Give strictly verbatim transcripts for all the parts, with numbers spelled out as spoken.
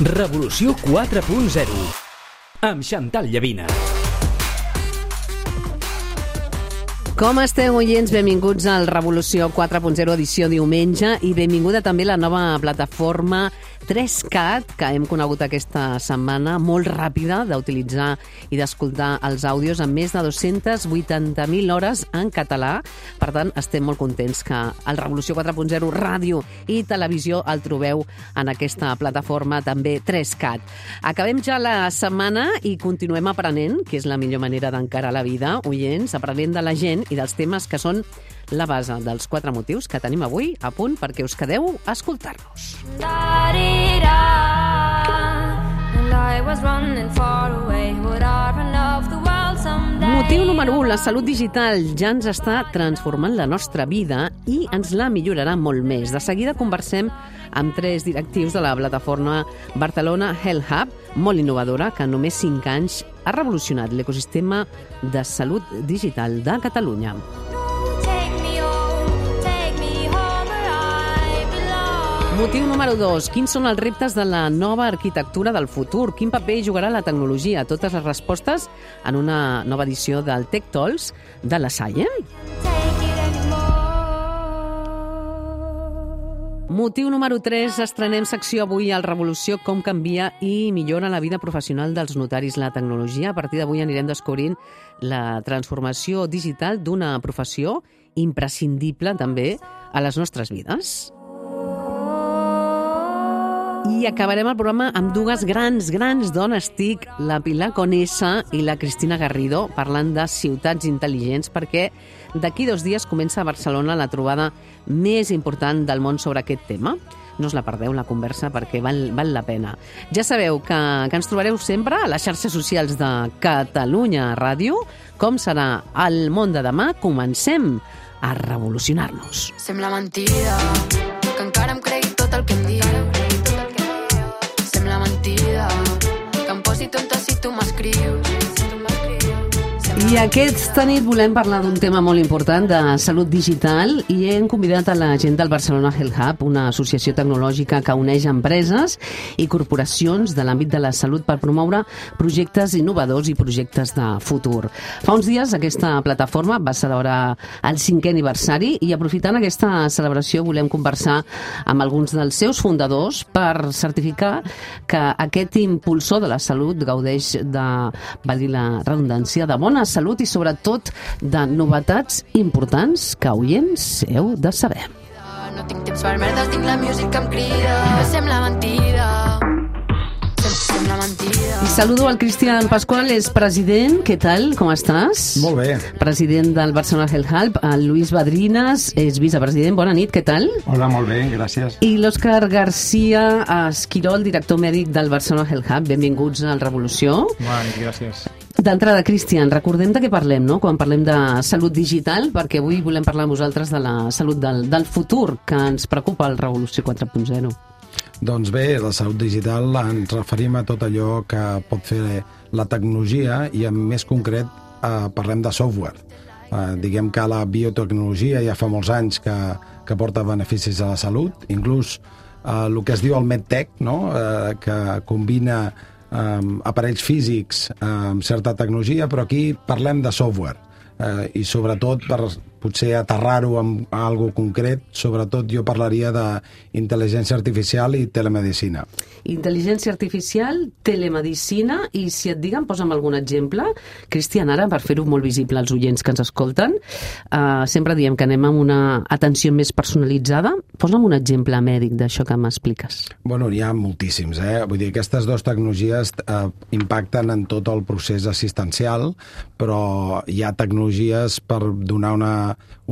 Revolució quatre punt zero amb Xantal Llavina. Com esteu, oients? Benvinguts al Revolució quatre punt zero edició diumenge i benvinguda també la nova plataforma tres cat que hem conegut aquesta setmana, molt ràpida d'utilitzar i d'escoltar els àudios amb més de dues-centes vuitanta mil hores en català. Per tant, estem molt contents que el Revolució quatre punt zero ràdio i televisió el trobeu en aquesta plataforma també tres cat. Acabem ja la setmana i continuem aprenent, que és la millor manera d'encarar la vida, oients, aprenent de la gent i dels temes que són la base dels quatre motius que tenim avui a punt perquè us quedeu a escoltar-nos. Motiu número u, la salut digital ja ens està transformant la nostra vida i ens la millorarà molt més. De seguida conversem amb tres directius de la plataforma Barcelona Health Hub, molt innovadora, que en només cinc anys ha revolucionat l'ecosistema de salut digital de Catalunya. Motiu número dos. Quins són els reptes de la nova arquitectura del futur? Quin paper jugarà la tecnologia? Totes les respostes en una nova edició del Tech Talks de la Salle. Motiu número tres. Estrenem secció avui al Revolució, com canvia i millora la vida professional dels notaris la tecnologia. A partir d'avui anirem descobrint la transformació digital d'una professió imprescindible també a les nostres vides. I acabarem el programa amb dues grans, grans dones TIC, la Pilar Conesa i la Cristina Garrido, parlant de ciutats intel·ligents, perquè d'aquí dos dies comença a Barcelona la trobada més important del món sobre aquest tema. No us la perdeu, la conversa, perquè val, val la pena. Ja sabeu que, que ens trobareu sempre a les xarxes socials de Catalunya Ràdio. Com serà el món de demà? Comencem a revolucionar-nos. Sembla mentida que encara em cregui tot el que em diu. Sembla mentida que em posi tonta si tu m'escrius. I aquesta nit volem parlar d'un tema molt important de salut digital i hem convidat a la gent del Barcelona Health Hub, una associació tecnològica que uneix empreses i corporacions de l'àmbit de la salut per promoure projectes innovadors i projectes de futur. Fa uns dies aquesta plataforma va celebrar el cinquè aniversari i aprofitant aquesta celebració volem conversar amb alguns dels seus fundadors per certificar que aquest impulsor de la salut gaudeix de, valgui la redundància, de bona salut i sobretot de novetats importants que, oients, heu de saber. No tinc temps per merdes, tinc la música que em crida. Sembla mentida. Sembla mentida. I saludo al Cristian Pascual, és president. Què tal? Com estàs? Molt bé. President del Barcelona Health Hub. El Luis Badrinas és vicepresident. Bona nit, què tal? Hola, molt bé, gràcies. I l'Òscar García Esquirol, director mèdic del Barcelona Health Hub. Benvinguts al Revolució. Bona nit, gràcies. D'entrada, Cristian, recordem de què parlem, no?, quan parlem de salut digital, perquè avui volem parlar amb vosaltres de la salut del, del futur que ens preocupa al Revolució quatre punt zero. Doncs bé, la salut digital ens referim a tot allò que pot fer la tecnologia i en més concret eh, parlem de software. Eh, diguem que la biotecnologia ja fa molts anys que, que porta beneficis a la salut, inclús eh, el que es diu el MedTech, no?, eh, que combina Um, aparells físics amb um, certa tecnologia, però aquí parlem de software uh, i sobretot per potser aterrar-ho amb algo concret, sobretot jo parlaria d'intel·ligència artificial i telemedicina. Intel·ligència artificial, telemedicina, i si et diguen, posa'm algun exemple. Cristian, ara, per fer-ho molt visible als oients que ens escolten, uh, sempre diem que anem amb una atenció més personalitzada. Posa'm un exemple mèdic d'això que m'expliques. Bueno, hi ha moltíssims, eh? Vull dir, aquestes dues tecnologies eh, impacten en tot el procés assistencial, però hi ha tecnologies per donar una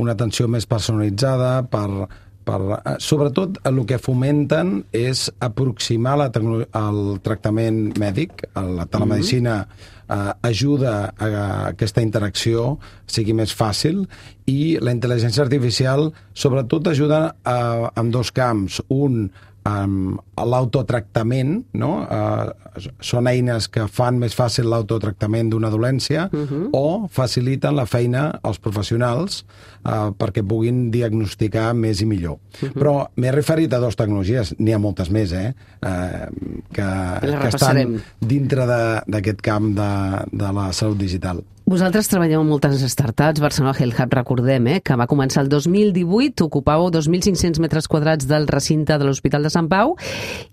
una atenció més personalitzada, per, per, sobretot el que fomenten és aproximar la el tractament mèdic. La telemedicina eh, ajuda a que aquesta interacció sigui més fàcil i la intel·ligència artificial sobretot ajuda a, en dos camps. Un, um, l'autotractament, no? Uh, són eines que fan més fàcil l'autotractament d'una dolència uh-huh. o faciliten la feina als professionals uh, perquè puguin diagnosticar més i millor. Uh-huh. Però m'he referit a dues tecnologies, n'hi ha moltes més, eh? Uh, que, que estan dintre d'aquest camp de, de la salut digital. Vosaltres treballeu en moltes startups. Barcelona Health Hub, recordem, eh, que va començar el dos mil divuit, ocupàveu dos mil cinc-cents metres quadrats del recinte de l'Hospital de Sant Pau,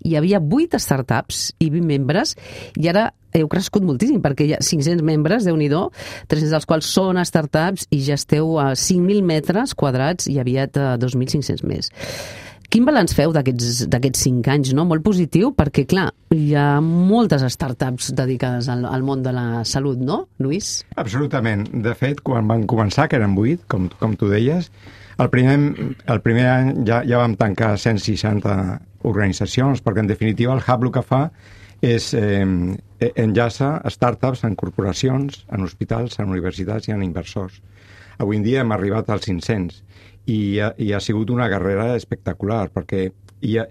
hi havia vuit startups i vint membres, i ara heu crescut moltíssim, perquè hi ha cinc-cents membres, Déu-n'hi-do, tres-cents dels quals són startups, i ja esteu a cinc mil metres quadrats i aviat a dos mil cinc-cents més. Quin balanç feu d'aquests cinc anys? No? Molt positiu, perquè, clar, hi ha moltes startups dedicades al, al món de la salut, no, Lluís? Absolutament. De fet, quan van començar, que eren vuit, com, com tu deies, el primer, el primer any ja, ja vam tancar cent seixanta organitzacions, perquè, en definitiva, el Hub el que fa és eh, enllaça startups en corporacions, en hospitals, en universitats i en inversors. Avui en dia hem arribat als cinc-cents. I ha, i ha sigut una carrera espectacular, perquè hi ha,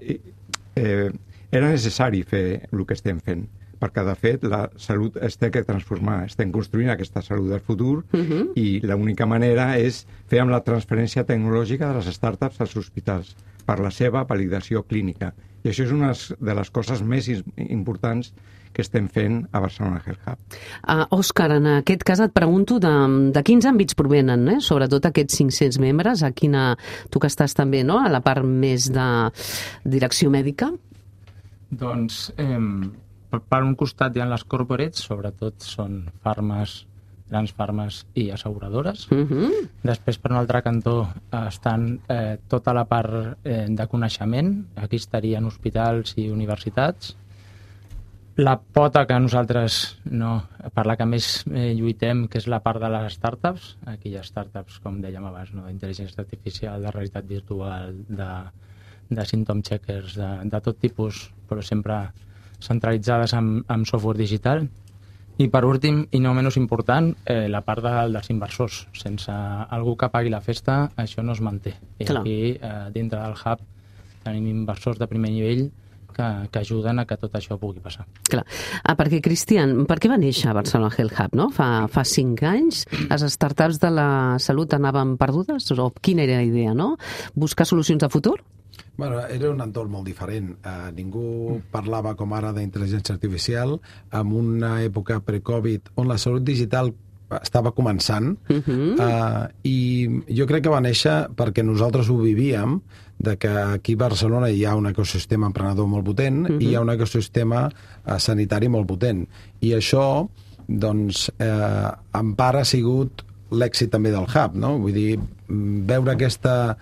eh, era necessari fer el que estem fent, perquè, de fet, la salut es té que transformar. Estem construint aquesta salut del futur uh-huh. i l'única manera és fer amb la transferència tecnològica de les startups als hospitals per la seva validació clínica. I això és una de les coses més importants que estem fent a Barcelona Health Hub. Uh, Òscar, en aquest cas et pregunto de, de quins àmbits provenen, eh? Sobretot aquests cinc-cents membres, a quina, tu que estàs també, no?, a la part més de direcció mèdica? Doncs, eh, per, per un costat hi ha les corporates, sobretot són farmes, grans farmes i asseguradores. Uh-huh. Després, per un altre cantó, estan eh, tota la part eh, de coneixement. Aquí estarien hospitals i universitats. La pota que nosaltres, no, per la que més eh, lluitem, que és la part de les startups. Aquí hi ha startups, com dèiem abans, no, d'intel·ligència artificial, de realitat virtual, de, de symptom checkers, de, de tot tipus, però sempre centralitzades amb, amb software digital. I per últim, i no menys important, eh, la part de, dels inversors. Sense algú que pagui la festa, això no es manté. I Clar. Aquí, eh, dintre del Hub, tenim inversors de primer nivell que, que ajuden a que tot això pugui passar. Clar. Ah, perquè, Cristian, per què va néixer Barcelona Health Hub, no? Fa, fa cinc anys, les startups de la salut anaven perdudes? O quina era la idea, no? Buscar solucions de futur? Bueno, era un entorn molt diferent. Uh, ningú parlava com ara d'intel·ligència artificial en una època pre-Covid on la salut digital estava començant uh-huh. uh, i jo crec que va néixer perquè nosaltres ho vivíem, de que aquí a Barcelona hi ha un ecosistema emprenedor molt potent uh-huh. i hi ha un ecosistema uh, sanitari molt potent. I això, doncs, eh, en part ha sigut l'èxit també del Hub, no? Vull dir, veure aquesta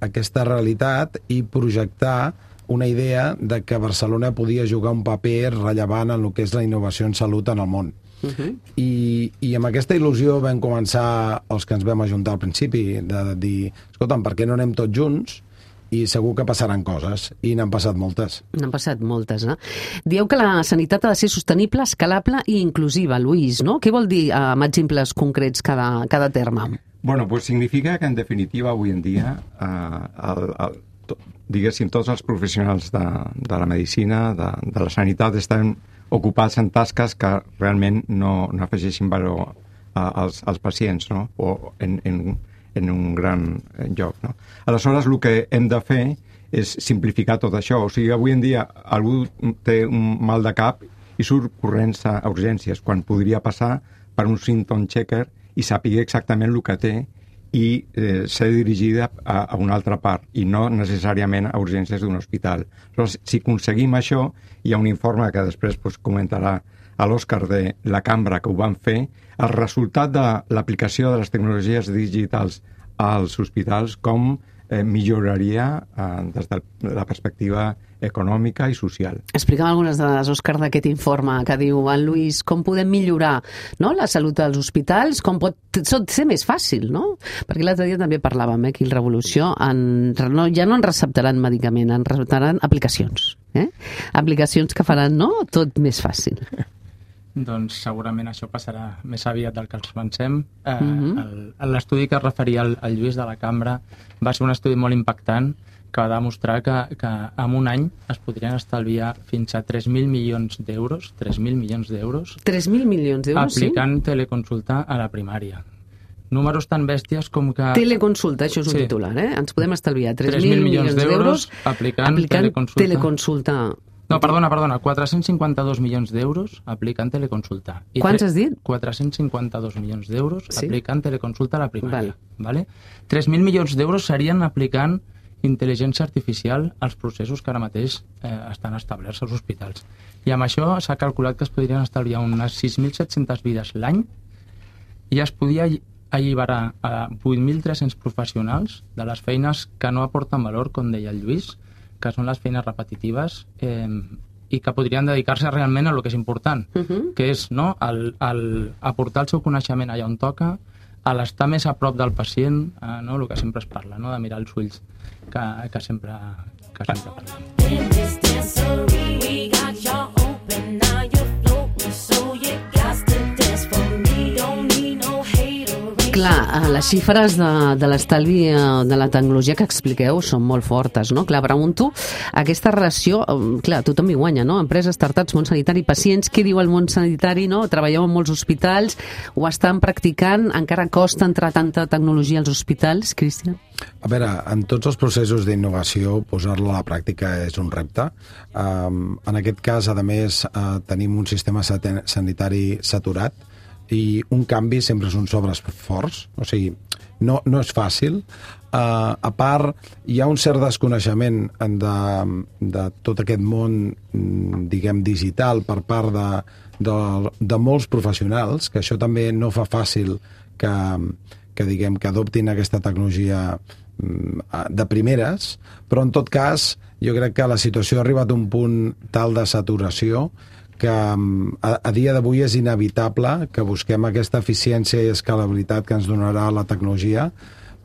aquesta realitat i projectar una idea de que Barcelona podia jugar un paper rellevant en el que és la innovació en salut en el món. Uh-huh. I, I amb aquesta il·lusió vam començar els que ens vam ajuntar al principi, de dir, escolta'm, per què no anem tots junts? I segur que passaran coses, i n'han passat moltes. N'han passat moltes, no? Dieu que la sanitat ha de ser sostenible, escalable i inclusiva, Lluís, no? Què vol dir amb exemples concrets cada, cada terme? Bueno, pues significa que, en definitiva, avui en dia, eh, el, el, to, diguéssim, tots els professionals de, de la medicina, de, de la sanitat, estan ocupats en tasques que realment no, no afegeixin valor a, als, als pacients, no? O en, en, en un gran lloc, no? Aleshores, el que hem de fer és simplificar tot això. O sigui, avui en dia algú té un mal de cap i surt corrents a urgències, quan podria passar per un symptom checker i sàpiga exactament el que té i eh, ser dirigida a, a una altra part i no necessàriament a urgències d'un hospital. Però si aconseguim això, hi ha un informe que després pues, comentarà a l'Òscar de la cambra que ho van fer, el resultat de l'aplicació de les tecnologies digitals als hospitals, com eh, milloraria eh, des de la perspectiva econòmica i social. Explica'm algunes dades, Òscar, d'aquest informe que diu en Lluís, com podem millorar, no?, la salut dels hospitals, com pot ser més fàcil, no? Perquè l'altre dia també parlàvem, eh, aquí el Revolució, en, no, ja no en receptaran medicament, en receptaran aplicacions. Eh? Aplicacions que faran, no?, tot més fàcil. Doncs segurament això passarà més aviat del que ens pensem. Eh, uh-huh. L'estudi que es referia al, al Lluís de la Cambra va ser un estudi molt impactant que va demostrar que, que en un any es podrien estalviar fins a tres mil milions d'euros, tres mil milions d'euros, tres mil milions d'euros, sí? aplicant teleconsulta a la primària. Números tan bèsties com que... Teleconsulta, això és un Sí. titular, eh? Ens podem estalviar tres mil milions d'euros aplicant, teleconsulta. teleconsulta. No, perdona, perdona, quatre-cents cinquanta-dos milions d'euros aplicant teleconsulta. I Quants tre- has dit? quatre-cents cinquanta-dos milions d'euros Sí. aplicant teleconsulta a la primària. Val. Vale? tres mil milions d'euros serien aplicant intel·ligència artificial als processos que ara mateix eh, estan establerts als hospitals. I amb això s'ha calculat que es podrien estalviar unes sis mil set-centes vides l'any i es podia alli- alliberar a vuit mil tres-cents professionals de les feines que no aporten valor, com deia el Lluís, que són les feines repetitives eh, i que podrien dedicar-se realment a lo que és important, Uh -huh. que és no, el, el aportar el seu coneixement allà on toca, a l'estar més a prop del pacient, eh, no, el que sempre es parla, no, de mirar els ulls, que, que sempre, que sempre parlem. In this dancery, we got y'all open, now you're floating, so you got to dance for me. Don't need no haterade. Clar, les xifres de, de l'estalvi eh, de la tecnologia que expliqueu són molt fortes, no? Clar, pregunto, aquesta relació, eh, clar, tothom hi guanya, no? Empreses, startups, món sanitari, pacients, què diu el món sanitari, no? Treballeu en molts hospitals, ho estan practicant, encara costa entrar tanta tecnologia als hospitals, Cristian? A veure, en tots els processos d'innovació, posar-la a la pràctica és un repte. Um, en aquest cas, a més, uh, tenim un sistema sat- sanitari saturat i un canvi sempre és un sobreesforç, o sigui, no, no és fàcil. Uh, a part, hi ha un cert desconeixement de, de tot aquest món, mm, diguem, digital per part de, de, de molts professionals, que això també no fa fàcil que, que diguem, que adoptin aquesta tecnologia mm, de primeres, però en tot cas jo crec que la situació ha arribat a un punt tal de saturació que a, a dia d'avui és inevitable que busquem aquesta eficiència i escalabilitat que ens donarà la tecnologia,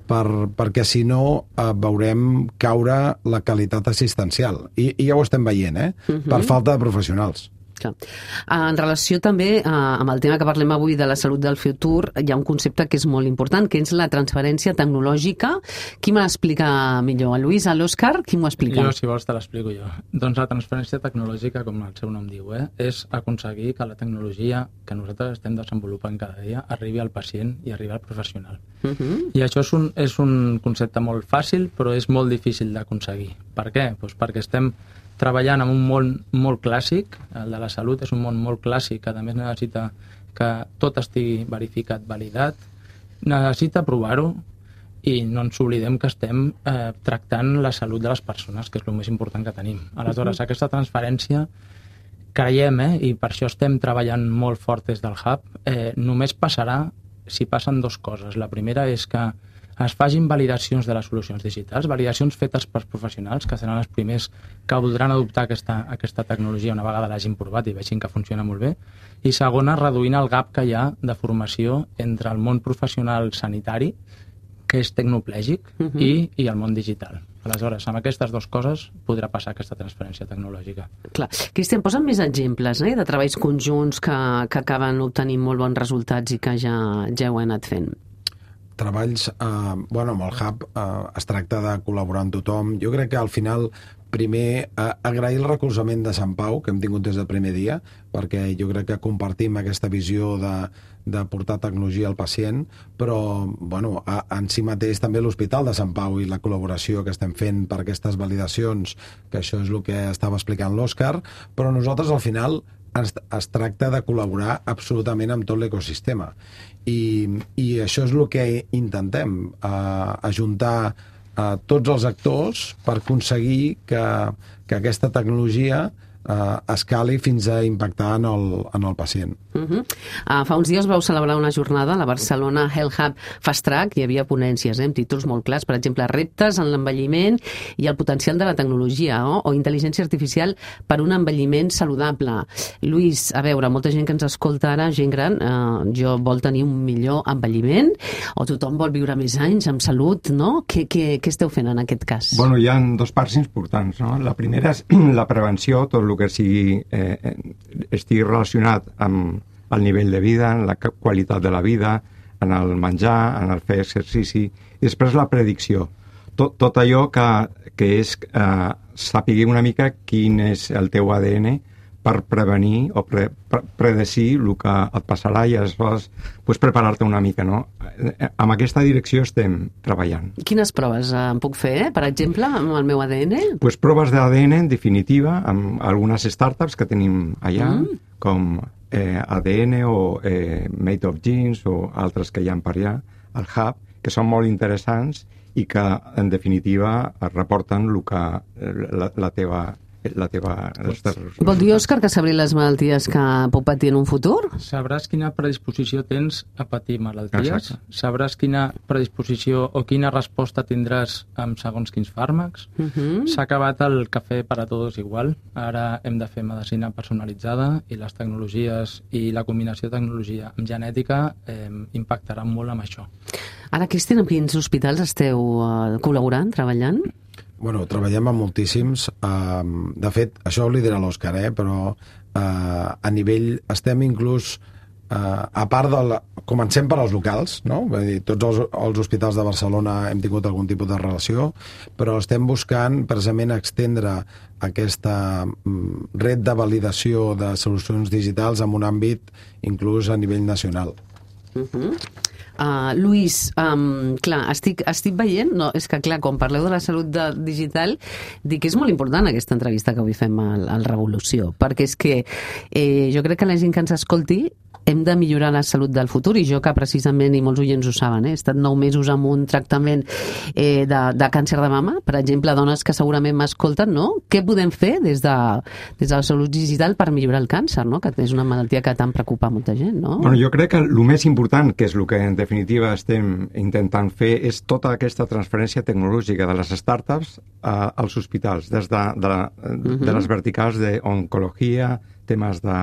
per, perquè si no eh, veurem caure la qualitat assistencial. I, i ja ho estem veient, eh? Uh-huh. Per falta de professionals. Clar. En relació també eh, amb el tema que parlem avui de la salut del futur, hi ha un concepte que és molt important, que és la transferència tecnològica. Qui me l'explica millor? El Lluís, l'Òscar? Qui m'ho explica? Jo, si vols, te l'explico jo. Doncs la transferència tecnològica, com el seu nom diu, eh, és aconseguir que la tecnologia que nosaltres estem desenvolupant cada dia arribi al pacient i arribi al professional. Uh -huh. I això és un, és un concepte molt fàcil, però és molt difícil d'aconseguir. Per què? Doncs perquè estem treballant en un món molt clàssic, el de la salut és un món molt clàssic, que a més necessita que tot estigui verificat, validat, necessita provar-ho i no ens oblidem que estem eh, tractant la salut de les persones, que és el més important que tenim. Aleshores, aquesta transferència creiem, eh, i per això estem treballant molt fort des del Hub, eh, només passarà si passen dues coses. La primera és que es facin validacions de les solucions digitals, validacions fetes per professionals, que seran els primers que voldran adoptar aquesta, aquesta tecnologia una vegada l'hagin provat i vegin que funciona molt bé. I segona, reduint el gap que hi ha de formació entre el món professional sanitari, que és tecnoplègic, uh -huh. i, i el món digital. Aleshores, amb aquestes dues coses podrà passar aquesta transferència tecnològica. Clar. Cristian, posa'm més exemples eh, de treballs conjunts que, que acaben obtenint molt bons resultats i que ja, ja heu anat fent. Treballs, eh, bueno, amb el Hub eh, es tracta de col·laborar amb tothom. Jo crec que al final, primer, eh, agrair el recolzament de Sant Pau, que hem tingut des del primer dia, perquè jo crec que compartim aquesta visió de, de portar tecnologia al pacient, però, bueno, a, en si mateix també l'Hospital de Sant Pau i la col·laboració que estem fent per aquestes validacions, que això és el que estava explicant l'Òscar, però nosaltres al final es, es tracta de col·laborar absolutament amb tot l'ecosistema. I, i això és el que intentem, eh, ajuntar eh, tots els actors per aconseguir que, que aquesta tecnologia eh, escali fins a impactar en el, en el pacient. Uh -huh. uh, fa uns dies vau celebrar una jornada a la Barcelona Health Hub Fast Track. Hi havia ponències eh, amb títols molt clars, per exemple, reptes en l'envelliment i el potencial de la tecnologia, no? O intel·ligència artificial per un envelliment saludable. Lluís, a veure, molta gent que ens escolta ara, gent gran, eh, jo vol tenir un millor envelliment o tothom vol viure més anys amb salut, no? Què, què, què esteu fent en aquest cas? Bueno, hi ha dos parts importants, no? La primera és la prevenció, tot el que sigui, eh, estigui relacionat amb el nivell de vida, en la qualitat de la vida, en el menjar, en el fer exercici, i després la predicció. tot, tot allò que, que és eh, saber una mica quin és el teu A D N per prevenir o pre, pre, predecir el que et passarà i aleshores pues, preparar-te una mica, no? Amb aquesta direcció estem treballant. Quines proves eh, em puc fer, eh? Per exemple, amb el meu A D N? Pues proves d'A D N, en definitiva, amb algunes startups que tenim allà, mm. com eh, A D N o eh, Made of Genes o altres que hi ha per allà, al Hub, que són molt interessants i que, en definitiva, et reporten el que, la, la teva la teva... Vol dir, Òscar, que sabré les malalties que puc patir en un futur? Sabràs quina predisposició tens a patir malalties, Exacte. Sabràs quina predisposició o quina resposta tindràs amb segons quins fàrmacs. Uh -huh. S'ha acabat el cafè per a tots igual. Ara hem de fer medicina personalitzada i les tecnologies i la combinació de tecnologia amb genètica eh, impactaran molt amb això. Ara, Cristian, en quins hospitals esteu uh, col·laborant, treballant? Bueno, treballem amb moltíssims. Uh, de fet, això ho lidera l'Òscar, eh? Però uh, a nivell... Estem inclús... Uh, a part del... Comencem per als locals, no? Vull dir, tots els, els hospitals de Barcelona hem tingut algun tipus de relació, però estem buscant precisament extendre aquesta um, red de validació de solucions digitals en un àmbit inclús a nivell nacional. Uh-huh. Uh, Lluís, um, clar, estic, estic veient, no, és que clar, quan parleu de la salut de, digital, dic que és molt important aquesta entrevista que avui fem al, al Revolució, perquè és que eh, jo crec que la gent que ens escolti hem de millorar la salut del futur, i jo que precisament, i molts oients ho saben, eh, he estat nou mesos amb un tractament eh, de, de càncer de mama, per exemple, dones que segurament m'escolten, no? Què podem fer des de, des de la salut digital per millorar el càncer, no? Que és una malaltia que tant preocupa molta gent, no? Bueno, jo crec que el més important, que és el que en definitiva estem intentant fer, és tota aquesta transferència tecnològica de les startups a, als hospitals, des de, de, la, uh-huh. de les verticals d'oncologia, temes de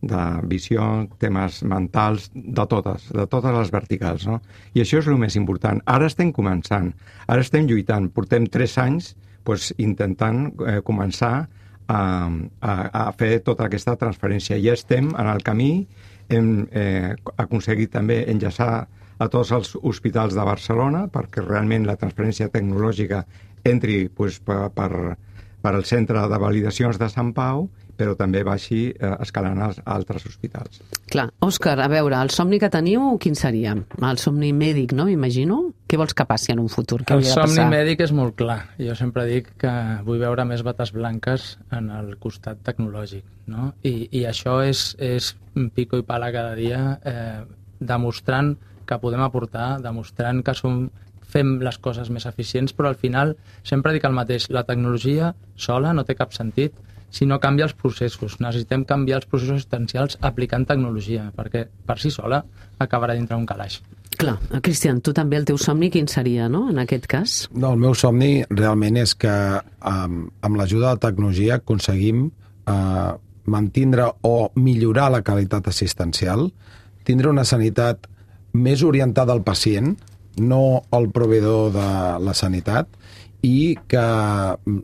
de visió, temes mentals, de totes, de totes les verticals, no? I això és el més important. Ara estem començant, ara estem lluitant, portem tres anys pues, intentant eh, començar a, a, a fer tota aquesta transferència. Ja estem en el camí, hem eh, aconseguit també enllaçar a tots els hospitals de Barcelona perquè realment la transferència tecnològica entri pues, per, per, per al centre de validacions de Sant Pau, però també baixi eh, escalant als altres hospitals. Clar. Òscar, a veure, el somni que teniu, quin seria? El somni mèdic, no? M'imagino. Què vols que passi en un futur? Què el hauria de somni passar? mèdic és molt clar. Jo sempre dic que vull veure més bates blanques en el costat tecnològic, no? I, i això és, és pico i pala cada dia, eh, demostrant que podem aportar, demostrant que som, fem les coses més eficients, però al final sempre dic el mateix, la tecnologia sola no té cap sentit si no canvia els processos. Necessitem canviar els processos assistencials aplicant tecnologia, perquè per si sola acabarà dintre un calaix. Clar. Cristian, tu també el teu somni quin seria, no?, en aquest cas? No, el meu somni realment és que um, amb l'ajuda de la tecnologia aconseguim uh, mantindre o millorar la qualitat assistencial, tindre una sanitat més orientada al pacient, no al proveïdor de la sanitat, i que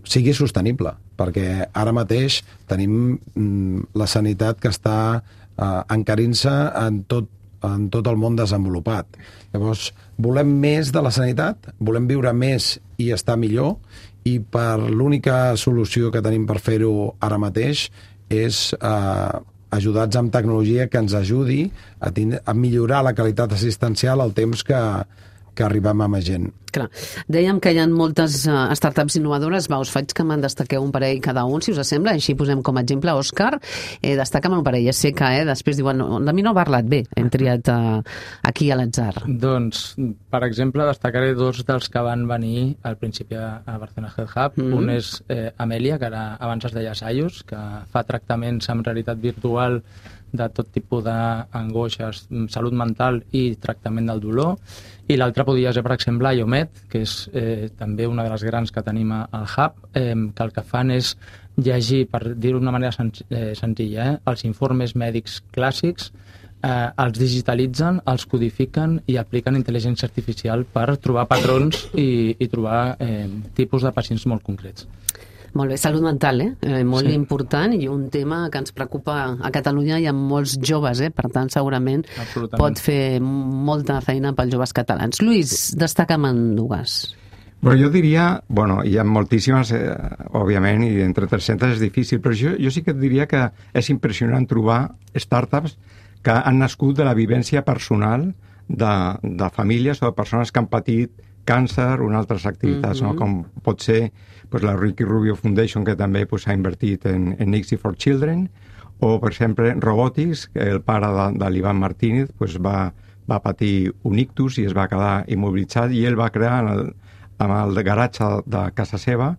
sigui sostenible, perquè ara mateix tenim mm, la sanitat que està eh, encarint-se en tot, en tot el món desenvolupat. Llavors, volem més de la sanitat, volem viure més i estar millor, i per l'única solució que tenim per fer-ho ara mateix és eh, ajudats amb tecnologia que ens ajudi a, tindre, a millorar la qualitat assistencial al temps que, que arribem a més gent. Clar. Dèiem que hi ha moltes uh, startups innovadores. Va, us faig que me'n destaqueu un parell cada un, si us sembla. Així posem com a exemple Òscar. Eh, destaca'm un parell. Ja sé que eh, després diuen, no, de mi no ha parlat bé. Hem triat uh, aquí a l'atzar. Doncs, per exemple, destacaré dos dels que van venir al principi a Barcelona Health Hub. Mm-hmm. Un és eh, Amèlia, que ara abans es deia Sayus, que fa tractaments amb realitat virtual de tot tipus d'angoixes, salut mental i tractament del dolor. I l'altre podria ser, per exemple, Iomed, que és eh, també una de les grans que tenim al Hub, eh, que el que fan és llegir, per dir-ho d'una manera sen eh, senzilla, eh, els informes mèdics clàssics, eh, els digitalitzen, els codifiquen i apliquen intel·ligència artificial per trobar patrons i, i trobar eh, tipus de pacients molt concrets. Molt bé, salut mental, eh? eh molt sí. important, i un tema que ens preocupa a Catalunya. Hi ha molts joves, eh? Per tant, segurament pot fer molta feina pels joves catalans. Lluís, destaca'm en dues. Bueno, jo diria, bueno, hi ha moltíssimes, eh, òbviament, i entre tres-centes és difícil, però jo, jo sí que et diria que és impressionant trobar startups que han nascut de la vivència personal de, de famílies o de persones que han patit càncer o en altres activitats, mm-hmm. no? Com pot ser pues, la Ricky Rubio Foundation, que també pues, ha invertit en, en I C S I for Children, o, per exemple, Robotics, que el pare de, de l'Ivan Martínez pues, va, va patir un ictus i es va quedar immobilitzat, i ell va crear en el, amb el garatge de casa seva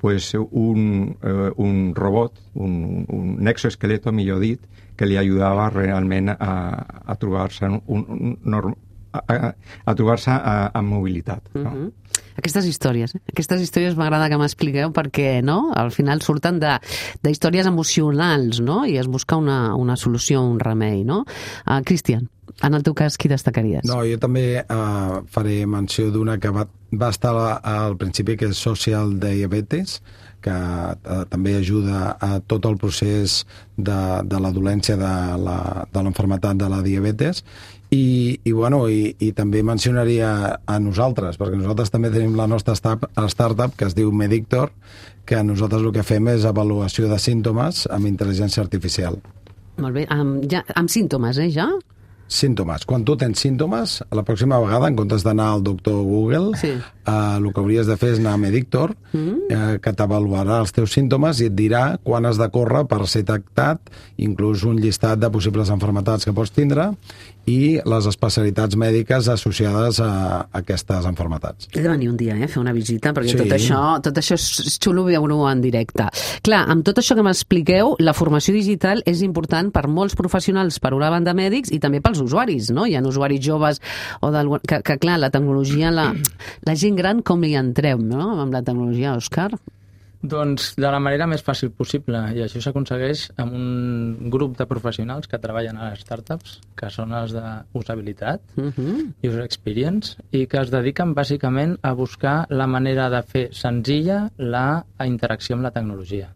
pues, un, eh, un robot, un, un exoesqueleto, millor dit, que li ajudava realment a, a trobar-se un, un, un, a, a trobar-se amb mobilitat. No? Mm-hmm. Aquestes històries, eh? Aquestes històries m'agrada que m'expliqueu perquè, no?, al final surten de, de històries emocionals, no?, i es busca una, una solució, un remei, no? Uh, Cristian, en el teu cas, qui destacaries? No, jo també uh, faré menció d'una que va, va estar al principi, que és Social Diabetes, que uh, també ajuda a tot el procés de, de la dolència de la, de l'enfermetat de la diabetes. I, i, bueno, i, i també mencionaria a nosaltres, perquè nosaltres també tenim la nostra startup que es diu Medictor, que nosaltres el que fem és avaluació de símptomes amb intel·ligència artificial. Molt bé, amb, ja, amb símptomes, eh, ja? Símptomes. Quan tu tens símptomes, la pròxima vegada, en comptes d'anar al doctor Google, sí. eh, el que hauries de fer és anar a Medictor, mm. eh, que t'avaluarà els teus símptomes i et dirà quan has de córrer per ser tractat, inclús un llistat de possibles enfermetats que pots tindre i les especialitats mèdiques associades a, a aquestes enfermetats. He de venir un dia, eh, a fer una visita, perquè sí. tot això, tot això és xulo veure-ho en directe. Clar, amb tot això que m'expliqueu, la formació digital és important per molts professionals, per una banda mèdics i també pels usuaris, no? Hi ha usuaris joves o que, que clar, la tecnologia, la, la gent gran, com hi entreu, no?, amb la tecnologia, Òscar? Doncs de la manera més fàcil possible, i això s'aconsegueix amb un grup de professionals que treballen a les startups, que són els d'usabilitat, uh-huh. user experience, i que es dediquen bàsicament a buscar la manera de fer senzilla la interacció amb la tecnologia.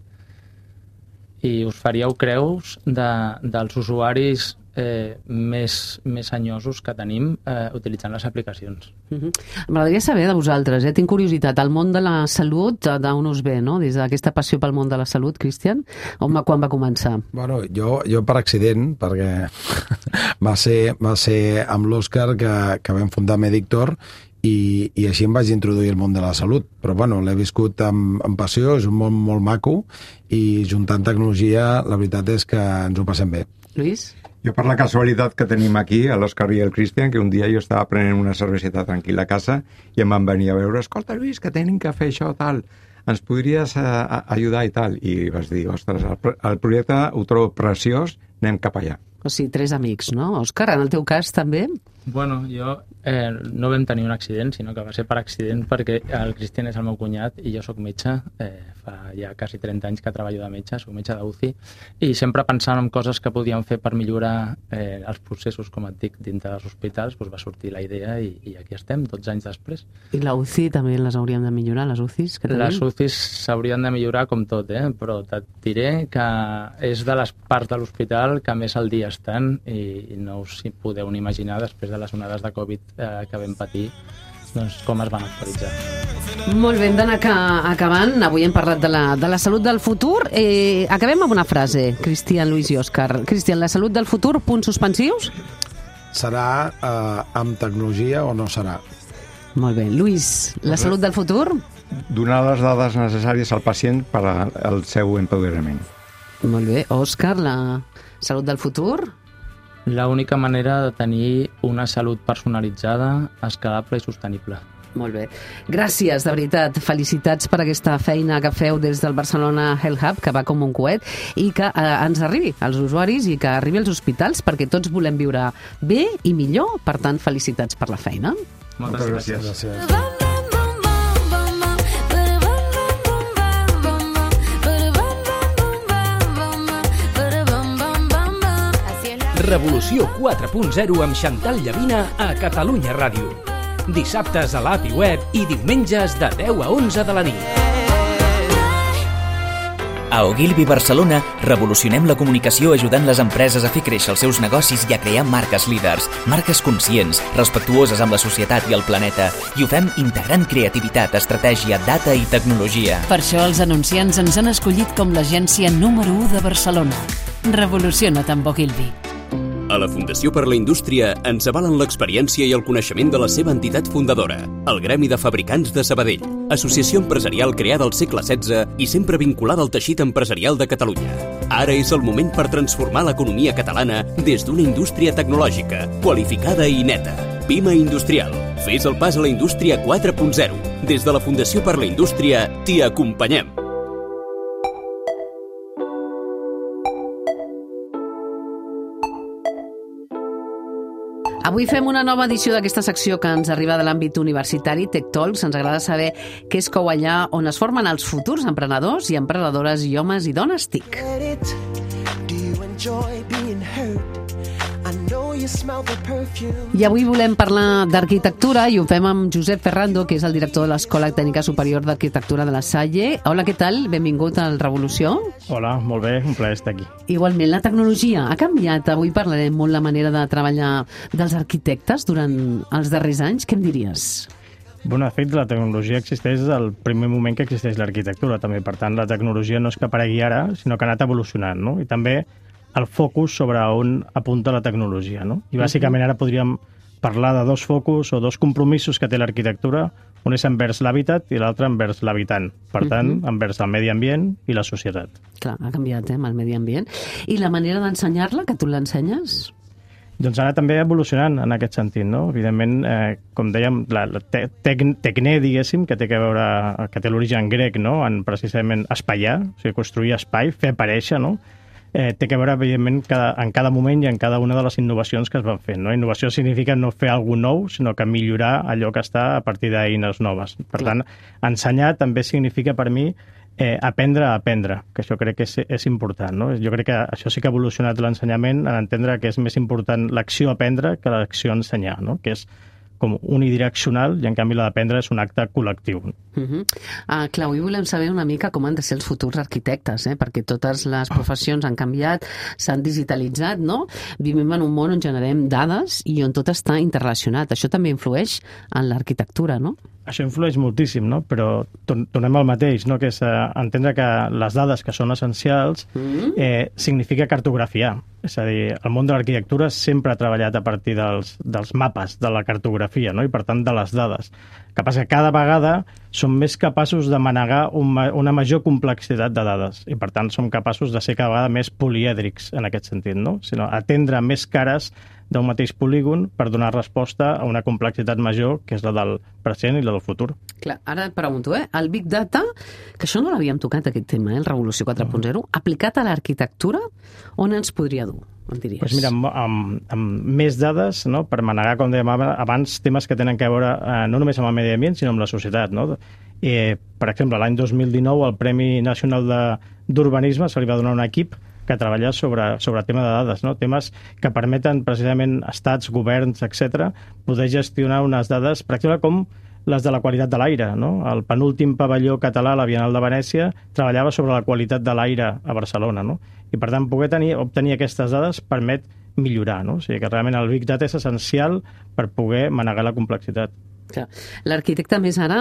I us faríeu creus de, dels usuaris eh, més, més senyosos que tenim eh, utilitzant les aplicacions. Uh-huh. M'agradaria saber de vosaltres, eh? Tinc curiositat, el món de la salut, d'on us ve, no? Des d'aquesta passió pel món de la salut, Cristian? On, quan va començar? Bueno, jo, jo per accident, perquè va ser, va ser amb l'Òscar que, que vam fundar Medictor, i, i així em vaig introduir al món de la salut. Però bueno, l'he viscut amb, amb passió, és un món molt maco, i juntant tecnologia, la veritat és que ens ho passem bé. Lluís? Jo, per la casualitat que tenim aquí, l'Òscar i el Cristian, que un dia jo estava prenent una cerveseta tranquil·la a casa i em van venir a veure, escolta, Lluís, que tenim que fer això, tal, ens podries uh, ajudar i tal? I vas dir, ostres, el, el projecte ho trobo preciós, anem cap allà. O sigui, tres amics, no? Òscar, en el teu cas també? Bueno, jo eh, no vam tenir un accident, sinó que va ser per accident perquè el Cristian és el meu cunyat i jo sóc metge, eh, fa ja quasi trenta anys que treballo de metge, soc metge d'U C I, i sempre pensant en coses que podíem fer per millorar eh, els processos, com et dic, dintre dels hospitals, doncs va sortir la idea i, i aquí estem, dotze anys després. I la U C I també les hauríem de millorar, les U C Is que tenim? Les U C Is s'haurien de millorar com tot, eh? Però et diré que és de les parts de l'hospital que més al dia estan i, i no us hi podeu ni imaginar després de les onades de Covid eh, que vam patir, doncs com es van actualitzar. Molt bé, hem d'anar acabant. Avui hem parlat de la, de la salut del futur. Eh, acabem amb una frase, Cristian, Lluís i Òscar. Cristian, la salut del futur, punts suspensius? Serà eh, amb tecnologia o no serà? Molt bé. Lluís, la salut del futur? Donar les dades necessàries al pacient per al seu empoderament. Molt bé. Òscar, la salut del futur? L'única manera de tenir una salut personalitzada, escalable i sostenible. Molt bé. Gràcies, de veritat. Felicitats per aquesta feina que feu des del Barcelona Health Hub, que va com un coet, i que eh, ens arribi als usuaris i que arribi als hospitals, perquè tots volem viure bé i millor. Per tant, felicitats per la feina. Moltes, Moltes gràcies. gràcies. gràcies. Revolució quatre punt zero amb Xantal Llavina a Catalunya Ràdio. Dissabtes a l'A P I web i diumenges de deu a onze de la nit. A Ogilvy Barcelona revolucionem la comunicació ajudant les empreses a fer créixer els seus negocis i a crear marques líders, marques conscients, respectuoses amb la societat i el planeta, i ho fem integrant creativitat, estratègia, data i tecnologia. Per això els anunciants ens han escollit com l'agència número u de Barcelona. Revoluciona't amb Ogilvy. A la Fundació per la Indústria ens avalen l'experiència i el coneixement de la seva entitat fundadora, el Gremi de Fabricants de Sabadell, associació empresarial creada al segle setze i sempre vinculada al teixit empresarial de Catalunya. Ara és el moment per transformar l'economia catalana des d'una indústria tecnològica, qualificada i neta. Pima Industrial. Fes el pas a la indústria quatre punt zero. Des de la Fundació per la Indústria t'hi acompanyem. Avui fem una nova edició d'aquesta secció que ens arriba de l'àmbit universitari, Tech Talks. Ens agrada saber què es cou allà on es formen els futurs emprenedors i emprenedores i homes i dones T I C. I avui volem parlar d'arquitectura i ho fem amb Josep Ferrando, que és el director de l'Escola Tècnica Superior d'Arquitectura de la Salle. Hola, què tal? Benvingut al Revolució. Hola, molt bé, un plaer estar aquí. Igualment, la tecnologia ha canviat. Avui parlarem molt la manera de treballar dels arquitectes durant els darrers anys. Què em diries? Bueno, de fet, la tecnologia existeix des del primer moment que existeix l'arquitectura, també. Per tant, la tecnologia no és que aparegui ara, sinó que ha anat evolucionant, no? I també el focus sobre on apunta la tecnologia, no? I bàsicament ara podríem parlar de dos focus o dos compromisos que té l'arquitectura, un és envers l'hàbitat i l'altre envers l'habitant. Per tant, uh-huh. envers el medi ambient i la societat. Clar, ha canviat, eh, amb el medi ambient. I la manera d'ensenyar-la, que tu l'ensenyes? Doncs ara també evolucionant en aquest sentit, no? Evidentment, eh, com dèiem, la, la te, tec, tecne, diguéssim, que té que veure, que té l'origen grec, no? En precisament espaiar, o sigui, construir espai, fer aparèixer, no? Eh, té que veure, evidentment, cada, en cada moment i en cada una de les innovacions que es van fent. No? Innovació significa no fer alguna nou, sinó que millorar allò que està a partir d'eines noves. Per tant, ensenyar també significa per mi eh, aprendre a aprendre, que això crec que és, és important. No? Jo crec que això sí que ha evolucionat l'ensenyament en entendre que és més important l'acció aprendre que l'acció ensenyar, no? Que és com unidireccional i en canvi la d'aprendre és un acte col·lectiu. Uh-huh. uh, clar, avui volem saber una mica com han de ser els futurs arquitectes, eh? Perquè totes les professions han canviat, s'han digitalitzat, no? Vivim en un món on generem dades i on tot està interrelacionat. Això també influeix en l'arquitectura, no? Això influeix moltíssim, no? Però tornem al mateix, no? Que és eh, entendre que les dades que són essencials eh, significa cartografiar. És a dir, el món de l'arquitectura sempre ha treballat a partir dels, dels mapes, de la cartografia, no? I per tant de les dades. El que passa que cada vegada som més capaços de manegar un, una major complexitat de dades i per tant som capaços de ser cada vegada més polièdrics en aquest sentit, no? Sinó atendre més cares d'un mateix polígon per donar resposta a una complexitat major, que és la del present i la del futur. Clar, ara et pregunto, eh? El Big Data, que això no l'havíem tocat, aquest tema, eh? El Revolució quatre punt zero, uh-huh. aplicat a l'arquitectura, on ens podria dur, em diries? Pues mira, amb, amb, amb més dades, no? Per manegar, com dèiem abans, temes que tenen a veure eh, no només amb el medi ambient, sinó amb la societat, no? Eh, per exemple, l'any dos mil dinou, el Premi Nacional d'Urbanisme se li va donar un equip que treballa sobre, sobre tema de dades, no? Temes que permeten precisament estats, governs, etcètera, poder gestionar unes dades, per exemple, com les de la qualitat de l'aire, no? El penúltim pavelló català, la Bienal de Venècia, treballava sobre la qualitat de l'aire a Barcelona, no? I per tant, poder tenir, obtenir aquestes dades permet millorar, no? O sigui que realment el Big Data és essencial per poder manegar la complexitat. L'arquitecte, més ara,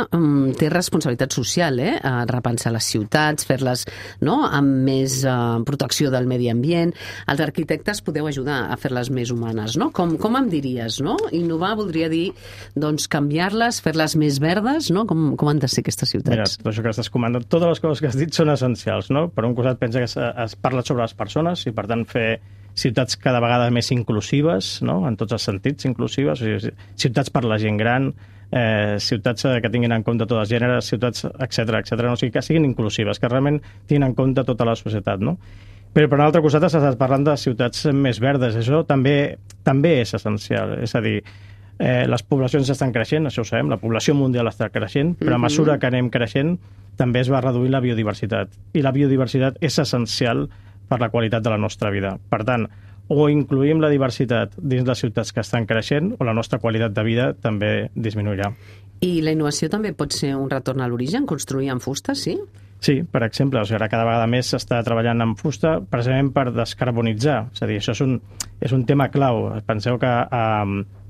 té responsabilitat social, eh? A repensar les ciutats, fer-les, no?, amb més uh, protecció del medi ambient. Els arquitectes podeu ajudar a fer-les més humanes, no? Com, com em diries, no? Innovar voldria dir, doncs, canviar-les, fer-les més verdes, no? Com, com han de ser aquestes ciutats? Mira, això que estàs comentant, totes les coses que has dit són essencials, no? Per un costat pensa que es, es parla sobre les persones i, per tant, fer ciutats cada vegada més inclusives, no? En tots els sentits inclusives, o sigui, ciutats per la gent gran, eh, ciutats que tinguin en compte tots els gèneres, ciutats, etcètera, etcètera, no? O sigui, que siguin inclusives, que realment tinguin en compte tota la societat, no? Però per un altre costat estàs parlant de ciutats més verdes, això també, també és essencial, és a dir, eh, les poblacions estan creixent, això ho sabem, la població mundial està creixent, però a mesura que anem creixent també es va reduir la biodiversitat, i la biodiversitat és essencial per la qualitat de la nostra vida. Per tant, o incluïm la diversitat dins les ciutats que estan creixent o la nostra qualitat de vida també disminuirà. I la innovació també pot ser un retorn a l'origen, construir amb fusta, sí? Sí, per exemple, o sigui, ara cada vegada més s'està treballant amb fusta precisament per descarbonitzar. És a dir, això és un, és un tema clau. Penseu que a,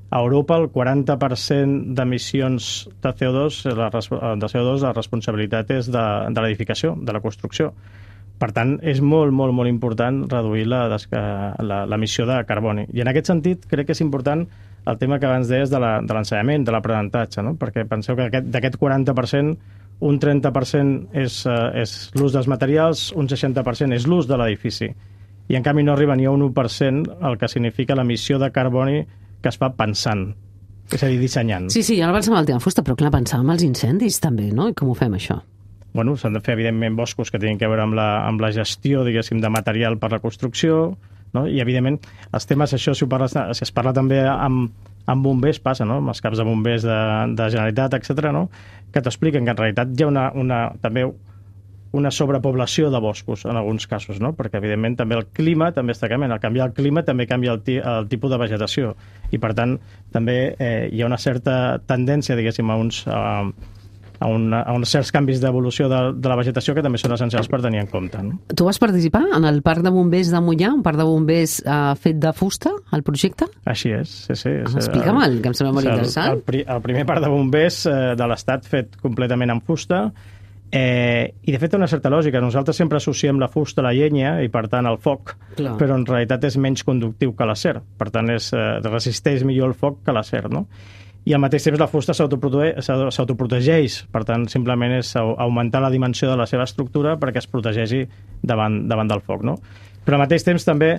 a Europa el quaranta per cent d'emissions de C O dos, la, de C O dos la responsabilitat és de, de l'edificació, de la construcció. Per tant, és molt, molt, molt important reduir l'emissió de carboni. I en aquest sentit, crec que és important el tema que abans deies de l'ensenyament, de l'aprenentatge, no? Perquè penseu que d'aquest quaranta per cent, un trenta per cent és, és l'ús dels materials, un seixanta per cent és l'ús de l'edifici. I en canvi no arriba ni a un u per cent el que significa l'emissió de carboni que es fa pensant, és a dir, dissenyant. Sí, sí, ara pensàvem el tema fusta, però clar, pensàvem els incendis també, no? I com ho fem, això? Bueno, s'han de fer, evidentment, boscos que tenen a veure amb la, amb la gestió, diguéssim, de material per la construcció, no? I, evidentment, els temes, això, si, ho parles, si es parla també amb, amb bombers, passa, no? Amb els caps de bombers de, de Generalitat, etcètera, no? Que t'expliquen que, en realitat, hi ha una, una, també una sobrepoblació de boscos, en alguns casos, no? Perquè, evidentment, també el clima també està canviant. Al canviar el clima també canvia el, ti, el tipus de vegetació. I, per tant, també eh, hi ha una certa tendència, diguéssim, a uns... Eh, a, una, a uns certs canvis d'evolució de, de la vegetació que també són essencials per tenir en compte. No? Tu vas participar en el Parc de Bombers de Moià, un parc de bombers eh, fet de fusta, el projecte? Així és, sí, sí. Ah, Explica'm-el, que em sembla molt el, interessant. El, el, el primer parc de bombers eh, de l'Estat fet completament en fusta, eh, i de fet té una certa lògica. Nosaltres sempre associem la fusta a la llenya i, per tant, al foc, Clar. Però en realitat és menys conductiu que l'acer. Per tant, és, eh, resisteix millor el foc que l'acer, no? I al mateix temps la fusta s'autoprotegeix, per tant, simplement és augmentar la dimensió de la seva estructura perquè es protegeixi davant, davant del foc, no? Però al mateix temps també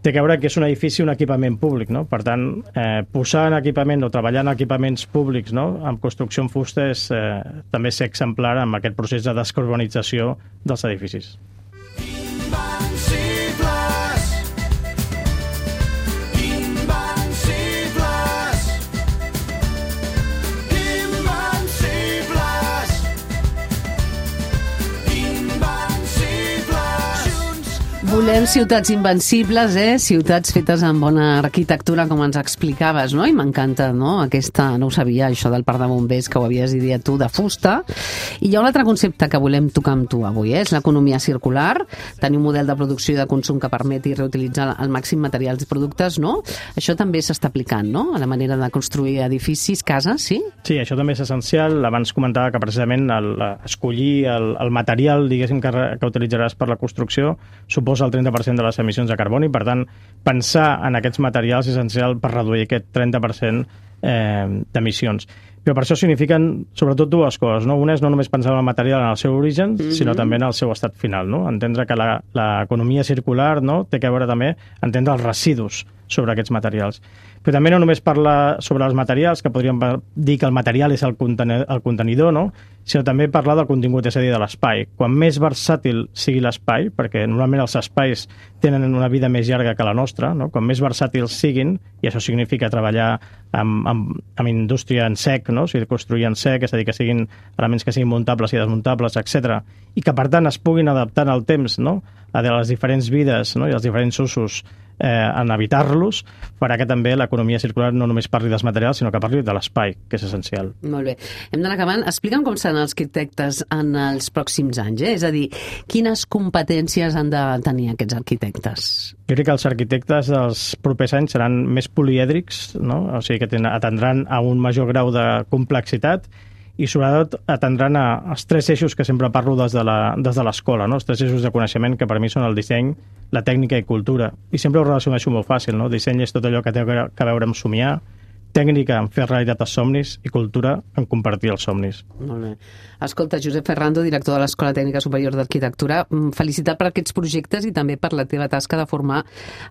té que veure que és un edifici, un equipament públic, no? Per tant, eh, posar en equipament o treballar en equipaments públics, no? Amb construcció en fusta és eh, també ser exemplar amb aquest procés de descarbonització dels edificis. Volem ciutats invencibles, eh? Ciutats fetes amb bona arquitectura, com ens explicaves, no? I m'encanta, no? Aquesta, no ho sabia, això del parc de bombers, que ho havies dit tu, de fusta. I hi ha un altre concepte que volem tocar amb tu avui, eh? És l'economia circular, tenir un model de producció i de consum que permeti reutilitzar al màxim materials i productes, no? Això també s'està aplicant, no? A la manera de construir edificis, cases, sí? Sí, això també és essencial. Abans comentava que precisament el, escollir el, el material, diguéssim, que, que utilitzaràs per la construcció suposa el trenta per cent de les emissions de carboni. Per tant, pensar en aquests materials és essencial per reduir aquest trenta per cent eh, d'emissions. Però per això signifiquen sobretot dues coses, no? Una és no només pensar en el material en el seu origen, mm-hmm. sinó també en el seu estat final, no? Entendre que l'economia circular, no? Té que veure també entendre els residus sobre aquests materials. Però també no només parlar sobre els materials, que podríem dir que el material és el, contenidor, el contenidor, no? Sinó també parlar del contingut, és a dir, de l'espai. Quan més versàtil sigui l'espai, perquè normalment els espais tenen una vida més llarga que la nostra, no? Quan més versàtils siguin, i això significa treballar amb, amb, amb indústria en sec, no? O sigui, construir en sec, és a dir, que siguin elements que siguin muntables i desmuntables, etcètera, i que, per tant, es puguin adaptar al temps, no? A les diferents vides, no? I els diferents usos eh, en evitar-los, farà que també l'economia circular no només parli dels materials, sinó que parli de l'espai, que és essencial. Molt bé. Hem d'anar acabant. Explica'm com seran els arquitectes en els pròxims anys, eh? És a dir, quines competències han de tenir aquests arquitectes? Jo crec que els arquitectes dels propers anys seran més polièdrics, no? O sigui, que atendran a un major grau de complexitat i sobretot atendran a, als tres eixos que sempre parlo des de l'escola, no? Els tres eixos de coneixement que per mi són el disseny, la tècnica i cultura. I sempre ho relacioneixo molt fàcil, no? Disseny és tot allò que té a veure amb somiar, tècnica en fer realitat els somnis i cultura en compartir els somnis. Molt bé. Escolta, Josep Ferrando, director de l'Escola Tècnica Superior d'Arquitectura, felicitat per aquests projectes i també per la teva tasca de formar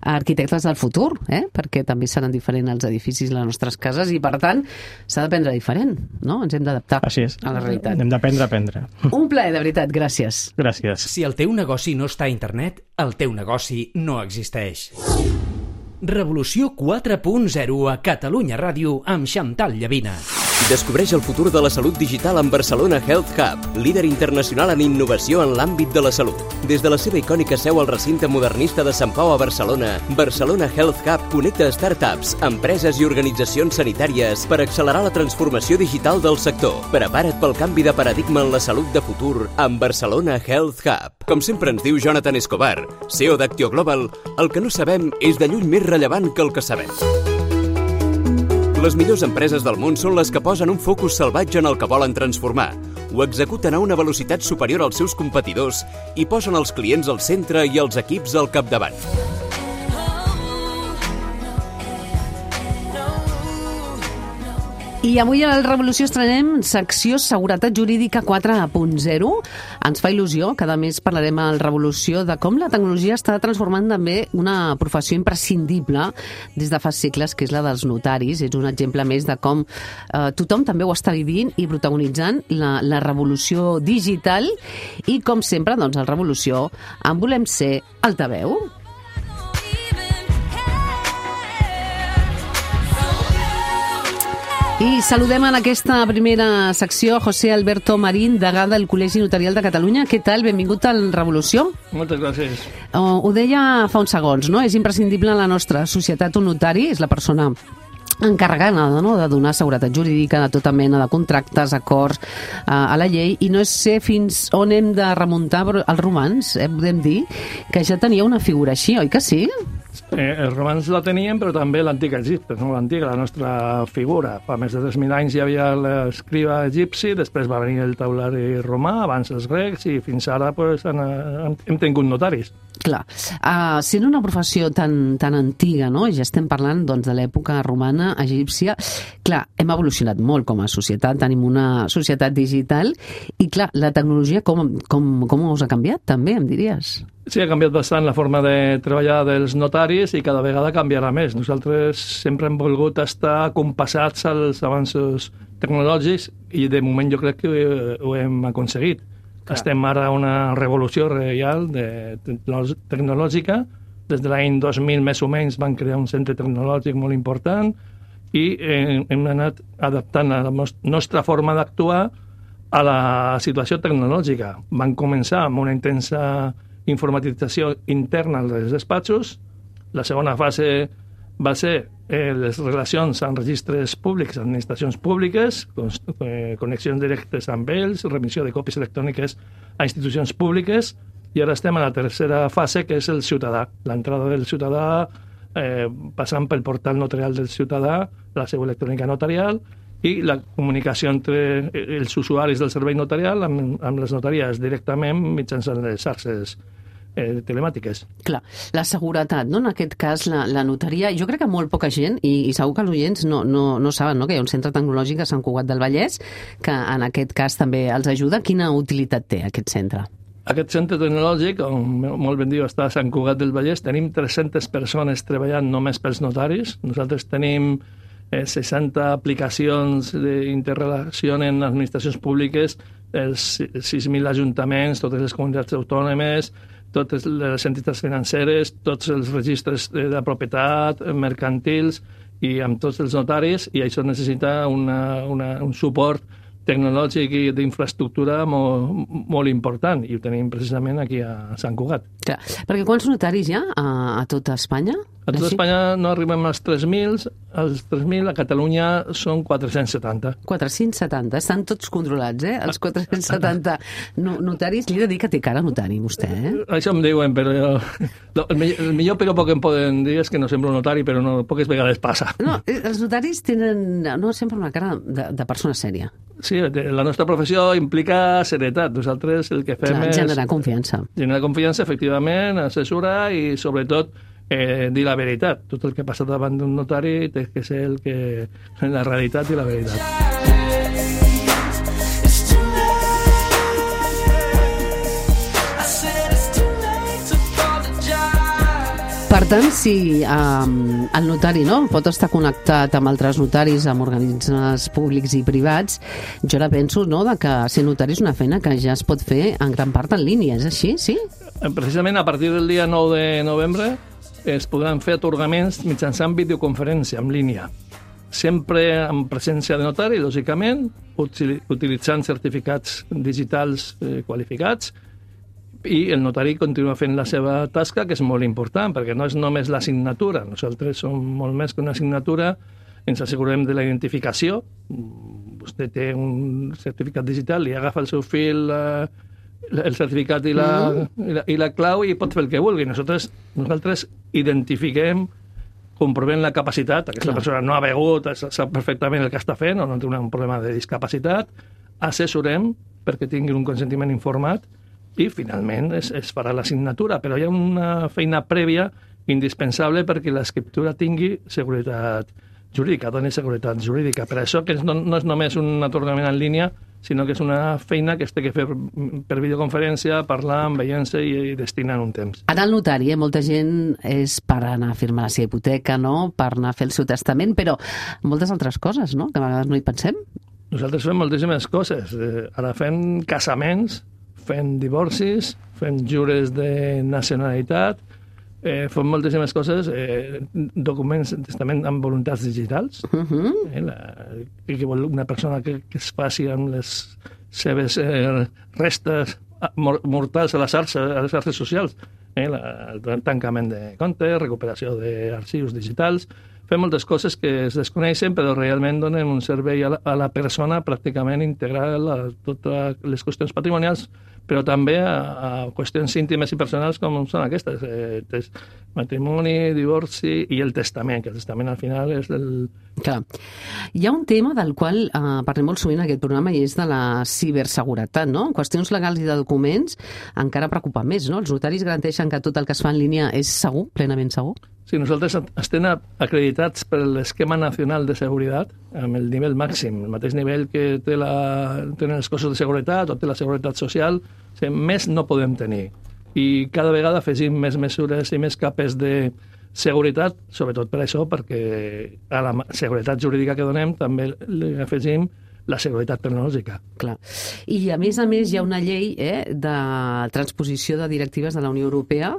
arquitectes del futur, eh? Perquè també seran diferents els edificis de les nostres cases i, per tant, s'ha d'aprendre diferent, no? Ens hem d'adaptar a la realitat. Hem d'aprendre a aprendre. Un plaer, de veritat. Gràcies. Gràcies. Si el teu negoci no està a internet, el teu negoci no existeix. Revolució quatre punt zero a Catalunya Ràdio amb Xantal Llavina. Descobreix el futur de la salut digital amb Barcelona Health Hub, líder internacional en innovació en l'àmbit de la salut. Des de la seva icònica seu al recinte modernista de Sant Pau a Barcelona, Barcelona Health Hub connecta startups, empreses i organitzacions sanitàries per accelerar la transformació digital del sector. Prepara't pel canvi de paradigma en la salut de futur amb Barcelona Health Hub. Com sempre ens diu Jonathan Escobar, C E O d'Actio Global, el que no sabem és de lluny més rellevant que el que sabem. Les millors empreses del món són les que posen un focus salvatge en el que volen transformar, ho executen a una velocitat superior als seus competidors i posen els clients al centre i els equips al capdavant. I avui a la Revolució estrenem secció Seguretat Jurídica quatre punt zero. Ens fa il·lusió, cada mes parlarem a la Revolució de com la tecnologia està transformant també una professió imprescindible des de fa segles, que és la dels notaris. És un exemple més de com eh, tothom també ho està vivint i protagonitzant la, la revolució digital. I com sempre, doncs, a la Revolució en volem ser altaveu. I saludem en aquesta primera secció José Alberto Marín, degà del Col·legi Notarial de Catalunya. Què tal? Benvingut a la Revolució. Moltes gràcies. Uh, ho deia fa uns segons, no? És imprescindible en la nostra societat un notari, és la persona encarregada, no?, de donar seguretat jurídica de tota mena de contractes, acords uh, a la llei, i no sé fins on hem de remuntar els romans, eh, podem dir, que ja tenia una figura així, oi que sí? Eh, els romans la tenien, però també l'antic Egipte, no? L'antiga, la nostra figura. Fa més de tres mil anys hi havia l'escriba egipci, després va venir el taulari romà, abans els grecs, i fins ara pues, han, hem, hem tingut notaris. Clar, uh, sent una professió tan, tan antiga, no? Ja estem parlant doncs, de l'època romana, egípcia, clar, hem evolucionat molt com a societat, tenim una societat digital, i clar, la tecnologia com, com, com us ha canviat també, em diries? Sí, ha canviat bastant la forma de treballar dels notaris i cada vegada canviarà més. Nosaltres sempre hem volgut estar compassats als avanços tecnològics i de moment jo crec que ho hem aconseguit. Clar. Estem ara a una revolució real de tecnològica. Des de l'any dos mil més o menys van crear un centre tecnològic molt important i hem anat adaptant la nostra forma d'actuar a la situació tecnològica. Van començar amb una intensa informatització interna dels despatxos. La segona fase va ser eh, les relacions amb registres públics, administracions públiques, eh, connexions directes amb ells, remissió de còpies electròniques a institucions públiques, i ara estem a la tercera fase, que és el ciutadà. L'entrada del ciutadà eh, passant pel portal notarial del ciutadà, la seu electrònica notarial, i la comunicació entre els usuaris del servei notarial amb, amb les notaries directament mitjançant les xarxes eh, telemàtiques. Clar, la seguretat, no? En aquest cas, la, la notaria, jo crec que molt poca gent, i, i segur que els oients no, no, no saben, no?, que hi ha un centre tecnològic a Sant Cugat del Vallès, que en aquest cas també els ajuda. Quina utilitat té aquest centre? Aquest centre tecnològic, com molt ben diu, està a Sant Cugat del Vallès. Tenim tres-centes persones treballant només pels notaris. Nosaltres tenim eh, seixanta aplicacions d'interrelacionen administracions públiques, els sis mil ajuntaments, totes les comunitats autònomes, totes les entitats financeres, tots els registres de, de propietat, mercantils, i amb tots els notaris, i això necessita una, una, un suport tecnològic i d'infraestructura molt, molt important, i ho tenim precisament aquí a Sant Cugat. Clar, perquè quants notaris hi ha a, a tota Espanya? A tota Espanya no arribem als tres mil, als tres mil, a Catalunya són quatre-cents setanta. quatre-cents setanta, estan tots controlats, eh? Els quatre-cents setanta notaris. Li he de dir que té cara notari, vostè, eh? Això em diuen, però el millor, el millor piropo que em poden dir és que no sembla un notari, però no, poques vegades passa. No, els notaris tenen no sempre una cara de, de persona sèria. Sí, la nostra professió implica serietat. Nosaltres el que fem Clar, és... generar confiança. Generar confiança, efectivament, assessorar i, sobretot, eh, dir la veritat. Tot el que passa davant d'un notari té que ser el que... la realitat i la veritat. Per tant, si um, el notari no, pot estar connectat amb altres notaris, amb organismes públics i privats, jo ara penso no, de que ser notari és una feina que ja es pot fer en gran part en línia, és així, sí? Precisament a partir del dia nou de novembre es podran fer atorgaments mitjançant videoconferència en línia. sempre en presència de notari, lògicament, util utilitzant certificats digitals eh, qualificats, i el notari continua fent la seva tasca, que és molt important, perquè no és només la signatura. Nosaltres som molt més que una signatura, ens assegurem de la identificació. Vostè té un certificat digital, li agafa el seu fil, eh, el certificat i la, mm. i, la, i la clau i pot fer el que vulgui. Nosaltres, nosaltres identifiquem, comprovem la capacitat, aquesta Clar. persona no ha begut, sap perfectament el que està fent o no té un problema de discapacitat, assessorem perquè tingui un consentiment informat i finalment es, es farà la signatura, però hi ha una feina prèvia indispensable perquè l'escriptura tingui seguretat jurídica, doni seguretat jurídica. Per això que no, no és només un atorgament en línia, sinó que és una feina que es té que fer per videoconferència, parlant, veient-se i, i destinant un temps. Anar al notari, eh? Molta gent és per anar a firmar la seva hipoteca, no? Per anar a fer el seu testament, però moltes altres coses, no? Que a vegades no hi pensem. Nosaltres fem moltíssimes coses. Eh, ara fem casaments, fem divorcis, fem jures de nacionalitat, eh, fem moltíssimes coses, eh, documents de testament amb voluntats digitals, uh -huh. eh, la, que vol una persona que, que es faci amb les seves eh, restes mortals a les xarxes, a les xarxes socials, eh, la, el tancament de comptes, recuperació d'arxius digitals. Fem moltes coses que es desconeixen, però realment donen un servei a la, a la persona pràcticament integrar a totes les qüestions patrimonials, però també a, a qüestions íntimes i personals com són aquestes, eh, matrimoni, divorci i el testament, que el testament al final és el... Clar. Hi ha un tema del qual eh, parlem molt sovint en aquest programa i és de la ciberseguretat, no? En qüestions legals i de documents encara preocupa més, no? Els notaris garanteixen que tot el que es fa en línia és segur, plenament segur? Sí, nosaltres estem acreditats per l'Esquema Nacional de Seguretat amb el nivell màxim, el mateix nivell que té la, tenen els cossos de seguretat o té la seguretat social, o sigui, més no podem tenir. I cada vegada afegim més mesures i més capes de seguretat, sobretot per això, perquè a la seguretat jurídica que donem també li afegim la seguretat tecnològica. Clar. I, a més a més, hi ha una llei eh, de transposició de directives de la Unió Europea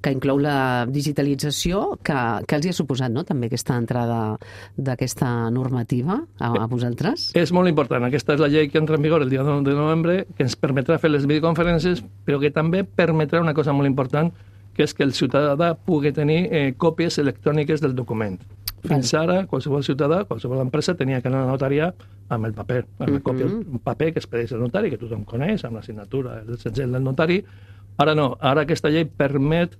que inclou la digitalització, que, que els hi ha suposat, no?, també aquesta entrada d'aquesta normativa a, a vosaltres. És molt important. Aquesta és la llei que entra en vigor el dia nou de novembre, que ens permetrà fer les videoconferències, però que també permetrà una cosa molt important, que és que el ciutadà pugui tenir eh, còpies electròniques del document. Fins ara, qualsevol ciutadà, qualsevol empresa tenia que anar a la notaria amb el paper, amb la còpia, un paper que es pedeix al notari, que tothom coneix, amb la signatura, el segell del notari. Ara no, ara aquesta llei permet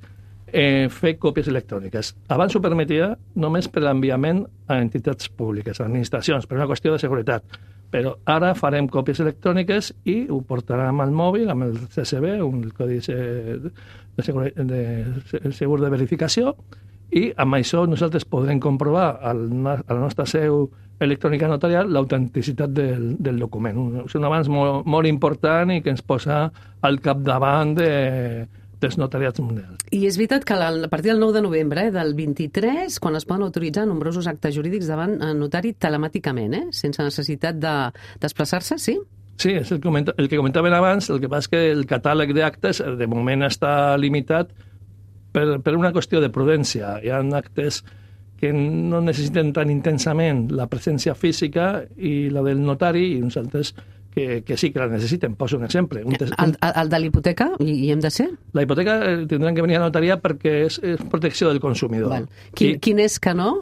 eh, fer còpies electròniques. Abans ho permetia només per l'enviament a entitats públiques, a administracions, per una qüestió de seguretat. Però ara farem còpies electròniques i ho portarem al mòbil amb el C S V, un codi de, segur, de, de segur de verificació, i amb això nosaltres podrem comprovar al, a la nostra seu electrònica notarial l'autenticitat del, del document. És un avanç molt, molt important i que ens posa al capdavant de, dels notariats mundials. I és veritat que a partir del nou de novembre, eh, del vint-i-tres, quan es poden autoritzar nombrosos actes jurídics davant el notari telemàticament, eh, sense necessitat de desplaçar-se, sí? Sí, és el, comenta, el que comentaven abans, el que passa és que el catàleg d'actes de moment està limitat per, per una qüestió de prudència. Hi ha actes que no necessiten tan intensament la presència física i la del notari, i uns altres que, que sí que la necessiten. Poso un exemple. Un el, el, el de l'hipoteca, hi, hi hem de ser? La hipoteca tindran que venir a la notaria perquè és, és protecció del consumidor. Val. Quin, I, quin és que no?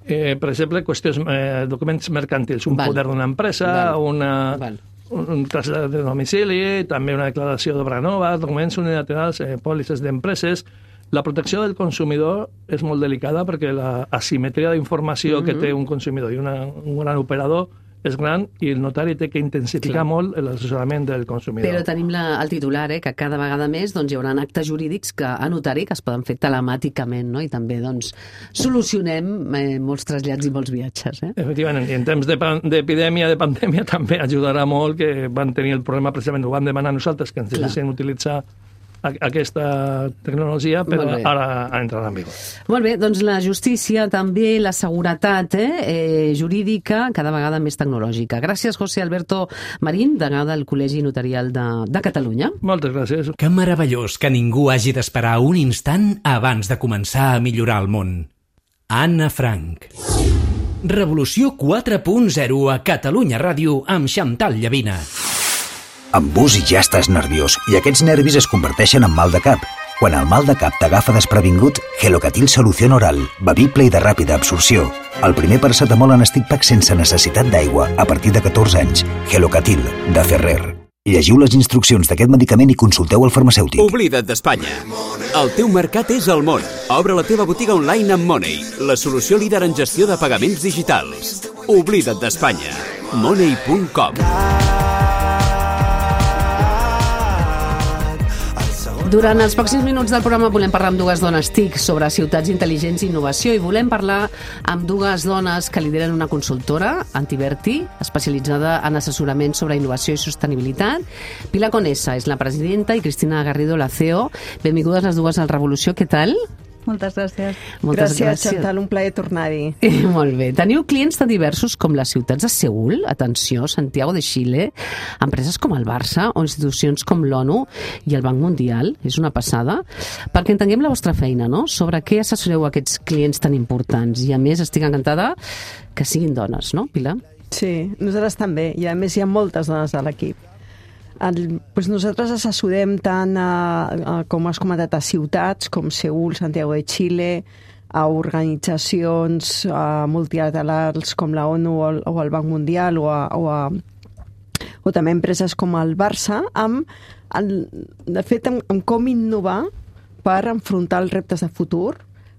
Eh, per exemple, qüestions, eh, documents mercantils, un Val. poder d'una empresa, Val. una... Val. un trasllat de domicili, també una declaració d'obra nova, documents unilaterals, eh, pòlisses d'empreses. La protecció del consumidor és molt delicada perquè la asimetria d'informació mm-hmm. que té un consumidor i una, un gran operador és gran i el notari té que intensificar Clar. molt l'assessorament del consumidor. Però tenim la, el titular, eh, que cada vegada més doncs, hi haurà actes jurídics que, a notari que es poden fer telemàticament, no? I també doncs, solucionem eh, molts trasllats i molts viatges. Eh? Efectivament, i en temps d'epidèmia, de, de pandèmia, també ajudarà molt que van tenir el problema, precisament ho van demanar nosaltres, que ens deixessin utilitzar aquesta tecnologia, però ara entrarà en vigor. Molt bé, doncs la justícia, també la seguretat eh, eh, jurídica, cada vegada més tecnològica. Gràcies, José Alberto Marín, degà del Col·legi Notarial de, de Catalunya. Moltes gràcies. Que meravellós que ningú hagi d'esperar un instant abans de començar a millorar el món. Anna Frank. Revolució quatre punt zero a Catalunya Ràdio amb Xantal Llavina. Amb bus ja estàs nerviós i aquests nervis es converteixen en mal de cap. Quan el mal de cap t'agafa desprevingut, Gelocatil Solució Oral, bevible i de ràpida absorció. El primer paracetamol en stick pack sense necessitat d'aigua a partir de catorze anys. Gelocatil, de Ferrer. Llegiu les instruccions d'aquest medicament i consulteu el farmacèutic. Oblida't d'Espanya. El teu mercat és el món. Obre la teva botiga online amb Money, la solució líder en gestió de pagaments digitals. Oblida't d'Espanya. Money punt com. Durant els pròxims minuts del programa volem parlar amb dues dones T I C sobre ciutats intel·ligents i innovació i volem parlar amb dues dones que lideren una consultora, Antiverti, especialitzada en assessorament sobre innovació i sostenibilitat. Pilar Conesa és la presidenta i Cristina Garrido, la C E O. Benvingudes les dues al Revolució, què tal? Moltes gràcies. Moltes gràcies, gràcies. Xantal, un plaer tornar-hi. Molt bé. Teniu clients tan diversos com les ciutats de Seül, atenció, Santiago de Xile, empreses com el Barça o institucions com l'ONU i el Banc Mundial. És una passada. Perquè entenguem la vostra feina, no?, sobre què assessoreu aquests clients tan importants. I a més estic encantada que siguin dones, no, Pilar? Sí, nosaltres també. I a més hi ha moltes dones a l'equip. El, doncs nosaltres assessorem tant, a, a, com has comentat, a ciutats com Seül, Santiago de Xile, a organitzacions a multilaterals com la ONU o el, o el Banc Mundial o, a, o, a, o també empreses com el Barça, amb, el, de fet, amb, amb com innovar per enfrontar els reptes de futur,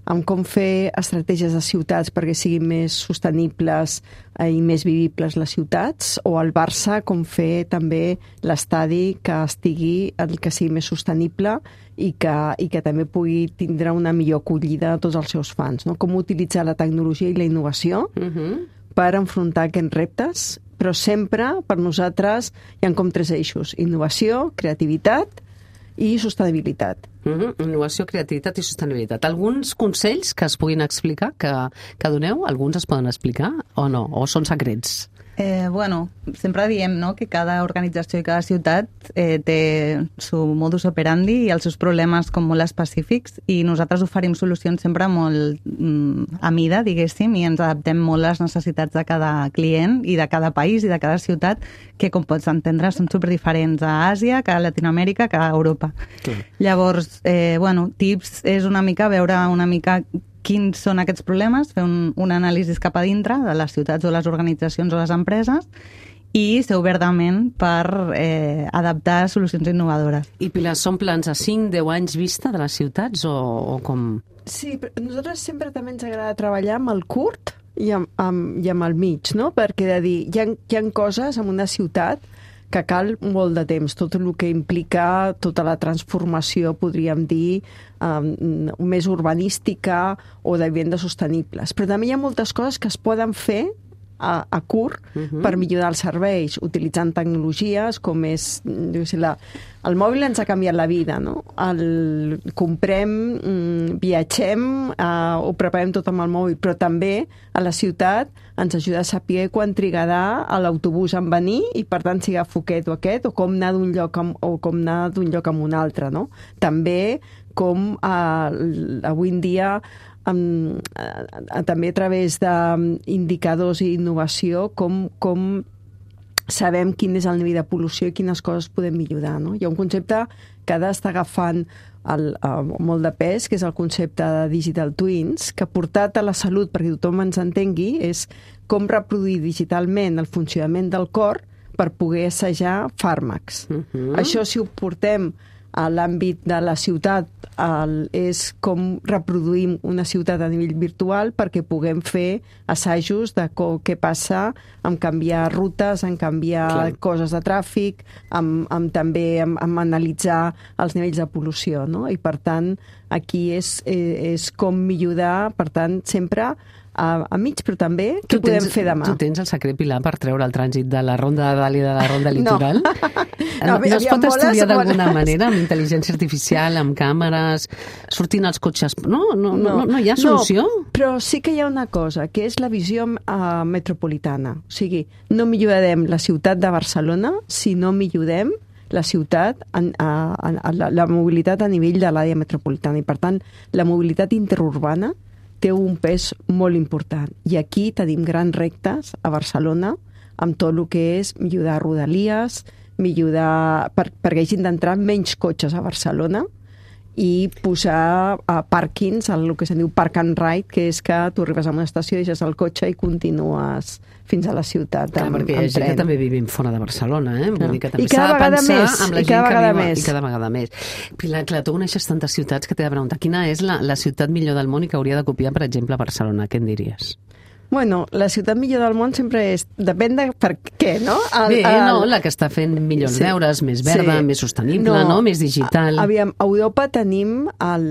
amb com fer estratègies de ciutats perquè siguin més sostenibles i més vivibles les ciutats, o al Barça com fer també l'estadi que estigui, el que sigui més sostenible i que, i que també pugui tindre una millor acollida a tots els seus fans, no? Com utilitzar la tecnologia i la innovació uh-huh. per enfrontar aquests reptes, però sempre per nosaltres hi ha com tres eixos: innovació, creativitat i sostenibilitat. Mm-hmm. Innovació, creativitat i sostenibilitat. Alguns consells que es puguin explicar, que, que doneu? Alguns es poden explicar o no? O són secrets? Eh, bueno, sempre diem, no?, que cada organització i cada ciutat eh, té su modus operandi i els seus problemes com molt específics, i nosaltres oferim solucions sempre molt mm, a mida, diguéssim, i ens adaptem molt a les necessitats de cada client i de cada país i de cada ciutat, que, com pots entendre, són superdiferents a Àsia, que a Latinoamèrica, que a Europa. Sí. Llavors, eh, bueno, tips és una mica veure una mica quins són aquests problemes, fer un, un anàlisi cap a dintre de les ciutats o les organitzacions o les empreses i ser obertament per eh, adaptar solucions innovadores. I Pilar, són plans a cinc a deu anys vista de les ciutats o, o com? Sí, però nosaltres sempre també ens agrada treballar amb el curt i amb, amb, i amb el mig, no? Perquè de dir, hi ha, hi ha coses en una ciutat que cal molt de temps, tot el que implica tota la transformació, podríem dir, um, més urbanística o de vivendes sostenibles. Però també hi ha moltes coses que es poden fer a, a curt uh-huh. per millorar els serveis, utilitzant tecnologies com és, jo sé, la, el mòbil ens ha canviat la vida, no? El, comprem, mm, viatgem, uh, ho preparem tot amb el mòbil, però també a la ciutat ens ajuda a saber quan trigarà a l'autobús en venir i, per tant, si agafo aquest o aquest, o com anar d'un lloc amb, o com anar d'un lloc a un altre, no? També com uh, avui en dia Um, uh, també a través d'indicadors i innovació, com, com sabem quin és el nivell de pol·lució i quines coses podem millorar, no? Hi ha un concepte que ara està agafant el, uh, molt de pes, que és el concepte de digital twins, que portat a la salut, perquè tothom ens entengui, és com reproduir digitalment el funcionament del cor per poder assajar fàrmacs. Uh-huh. Això, si ho portem a l'àmbit de la ciutat, el, és com reproduïm una ciutat a nivell virtual perquè puguem fer assajos de co, què passa en canviar rutes, en canviar Clar. coses de tràfic, amb, amb també amb, amb analitzar els nivells de pol·lució, no? I, per tant, aquí és, és com millorar, per tant, sempre a, a mig, però també què podem tens, fer demà. Tu tens el secret, Pilar, per treure el trànsit de la Ronda de Dalt i de la Ronda Litoral? No, no, no, no es pot estudiar d'alguna manera, amb intel·ligència artificial, amb càmeres, sortint els cotxes... No, no, no, no, no hi ha solució? No, però sí que hi ha una cosa, que és la visió uh, metropolitana. O sigui, no millorarem la ciutat de Barcelona si no millorem la ciutat, a, a, a, la, la mobilitat a nivell de l'àrea metropolitana. I, per tant, la mobilitat interurbana té un pes molt important. I aquí tenim grans reptes a Barcelona, amb tot el que és millorar rodalies, millorar per, perquè hagin d'entrar menys cotxes a Barcelona, i posar uh, pàrquings, el que se'n diu park and ride, que és que tu arribes a una estació, deixes el cotxe i continues fins a la ciutat clar, amb, perquè hi ha amb gent tren. que també vivim fora de Barcelona, eh? Vull dir que també I cada s'ha de vegada pensar més, amb la i gent cada que vegada viu més. i cada vegada més. Pilar, clar, tu coneixes tantes ciutats que t'he de preguntar, quina és la, la ciutat millor del món i que hauria de copiar, per exemple, Barcelona? Què en diries? Bueno, la ciutat millor del món sempre és... Depèn de per què, no? El, Bé, el... no, la que està fent millors Sí. deures, més verda, Sí. més sostenible, no, no? Més digital. A, aviam, a Europa tenim el...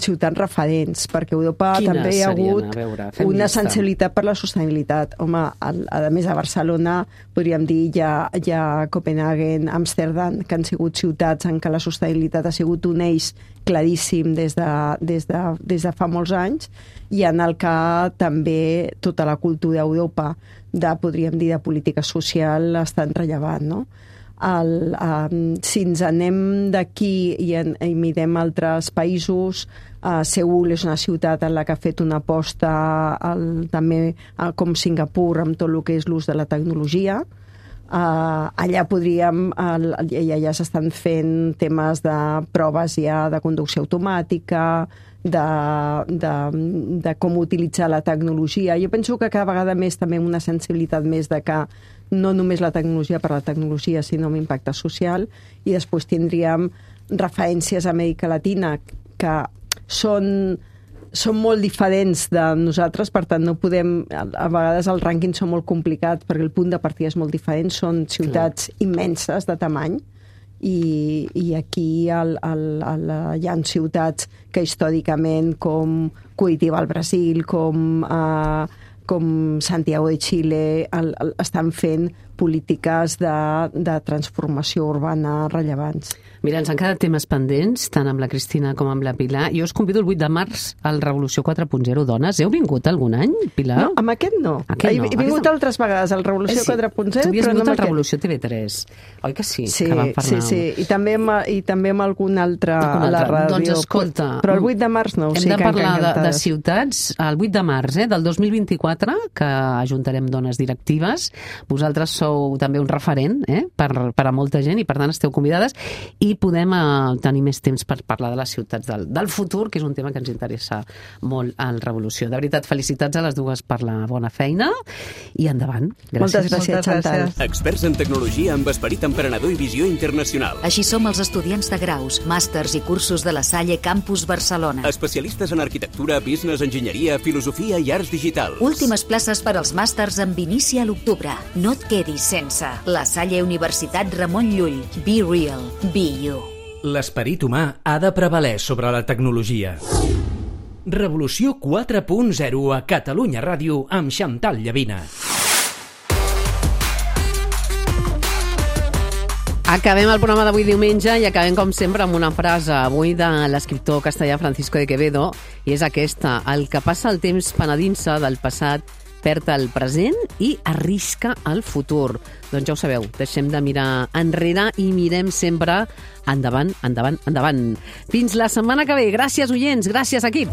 ciutats referents, perquè a Europa Quines també hi ha serien? hagut A veure, fem una llista. sensibilitat per la sostenibilitat. Home, el, a més a Barcelona, podríem dir, hi ha, hi ha Copenhagen, Amsterdam, que han sigut ciutats en què la sostenibilitat ha sigut un eix claríssim des de, des de, des de fa molts anys, i en el que també tota la cultura d'Europa, de, podríem dir, de política social, està rellevant, no? El, um, si ens anem d'aquí i, en, i mirem altres països, uh, Seül és una ciutat en la que ha fet una aposta el, també uh, com Singapur amb tot el que és l'ús de la tecnologia. Uh, allà podríem, uh, ja, ja s'estan fent temes de proves ja de conducció automàtica, de, de, de com utilitzar la tecnologia. Jo penso que cada vegada més també una sensibilitat més de que no només la tecnologia per la tecnologia, sinó amb impacte social, i després tindríem referències a Amèrica Latina que són, són molt diferents de nosaltres, per tant no podem, a vegades els rànquings són molt complicats perquè el punt de partida és molt diferent, són ciutats Clar. immenses de tamany, i, i aquí el, el, el, hi ha ciutats que històricament, com Curitiba al Brasil, com, eh, com Santiago de Xile, el, el, estan fent polítiques de, de transformació urbana rellevants. Mira, ens han quedat temes pendents, tant amb la Cristina com amb la Pilar. Jo us convido el vuit de març al Revolució quatre punt zero. Dones, heu vingut algun any, Pilar? No, amb aquest no. Aquest no. He, he vingut Aquesta... altres vegades al Revolució eh, sí. quatre punt zero, Tu havies però vingut no al amb Revolució T V tres, oi que sí? Sí, que vam parlar... sí, sí. I també, amb, I també amb algun altre algun a la altre. ràdio. Doncs escolta... Però el vuit de març no, o hem sigui de que parlar de, de encantades. ciutats el vuit de març eh, del dos mil vint-i-quatre, que ajuntarem dones directives. Vosaltres sou també un referent eh, per, per a molta gent i per tant esteu convidades i podem eh, tenir més temps per parlar de les ciutats del, del futur, que és un tema que ens interessa molt al Revolució. De veritat, felicitats a les dues per la bona feina i endavant. Gràcies. Moltes gràcies, Chantal. Experts en tecnologia amb esperit emprenedor i visió internacional. Així som els estudiants de graus, màsters i cursos de la Salle Campus Barcelona. Especialistes en arquitectura, business, enginyeria, filosofia i arts digitals. Últimes places per als màsters amb inici a l'octubre. No et quedis sense. La Salle Universitat Ramon Llull. Be real. Be you. L'esperit humà ha de prevaler sobre la tecnologia. Revolució quatre punt zero a Catalunya Ràdio amb Chantal Llavina. Acabem el programa d'avui diumenge i acabem, com sempre, amb una frase avui de l'escriptor castellà Francisco de Quevedo, i és aquesta: el que passa el temps penedint-se del passat perd el present i arrisca el futur. Doncs ja ho sabeu, deixem de mirar enrere i mirem sempre endavant, endavant, endavant. Fins la setmana que ve. Gràcies, oients. Gràcies, equip.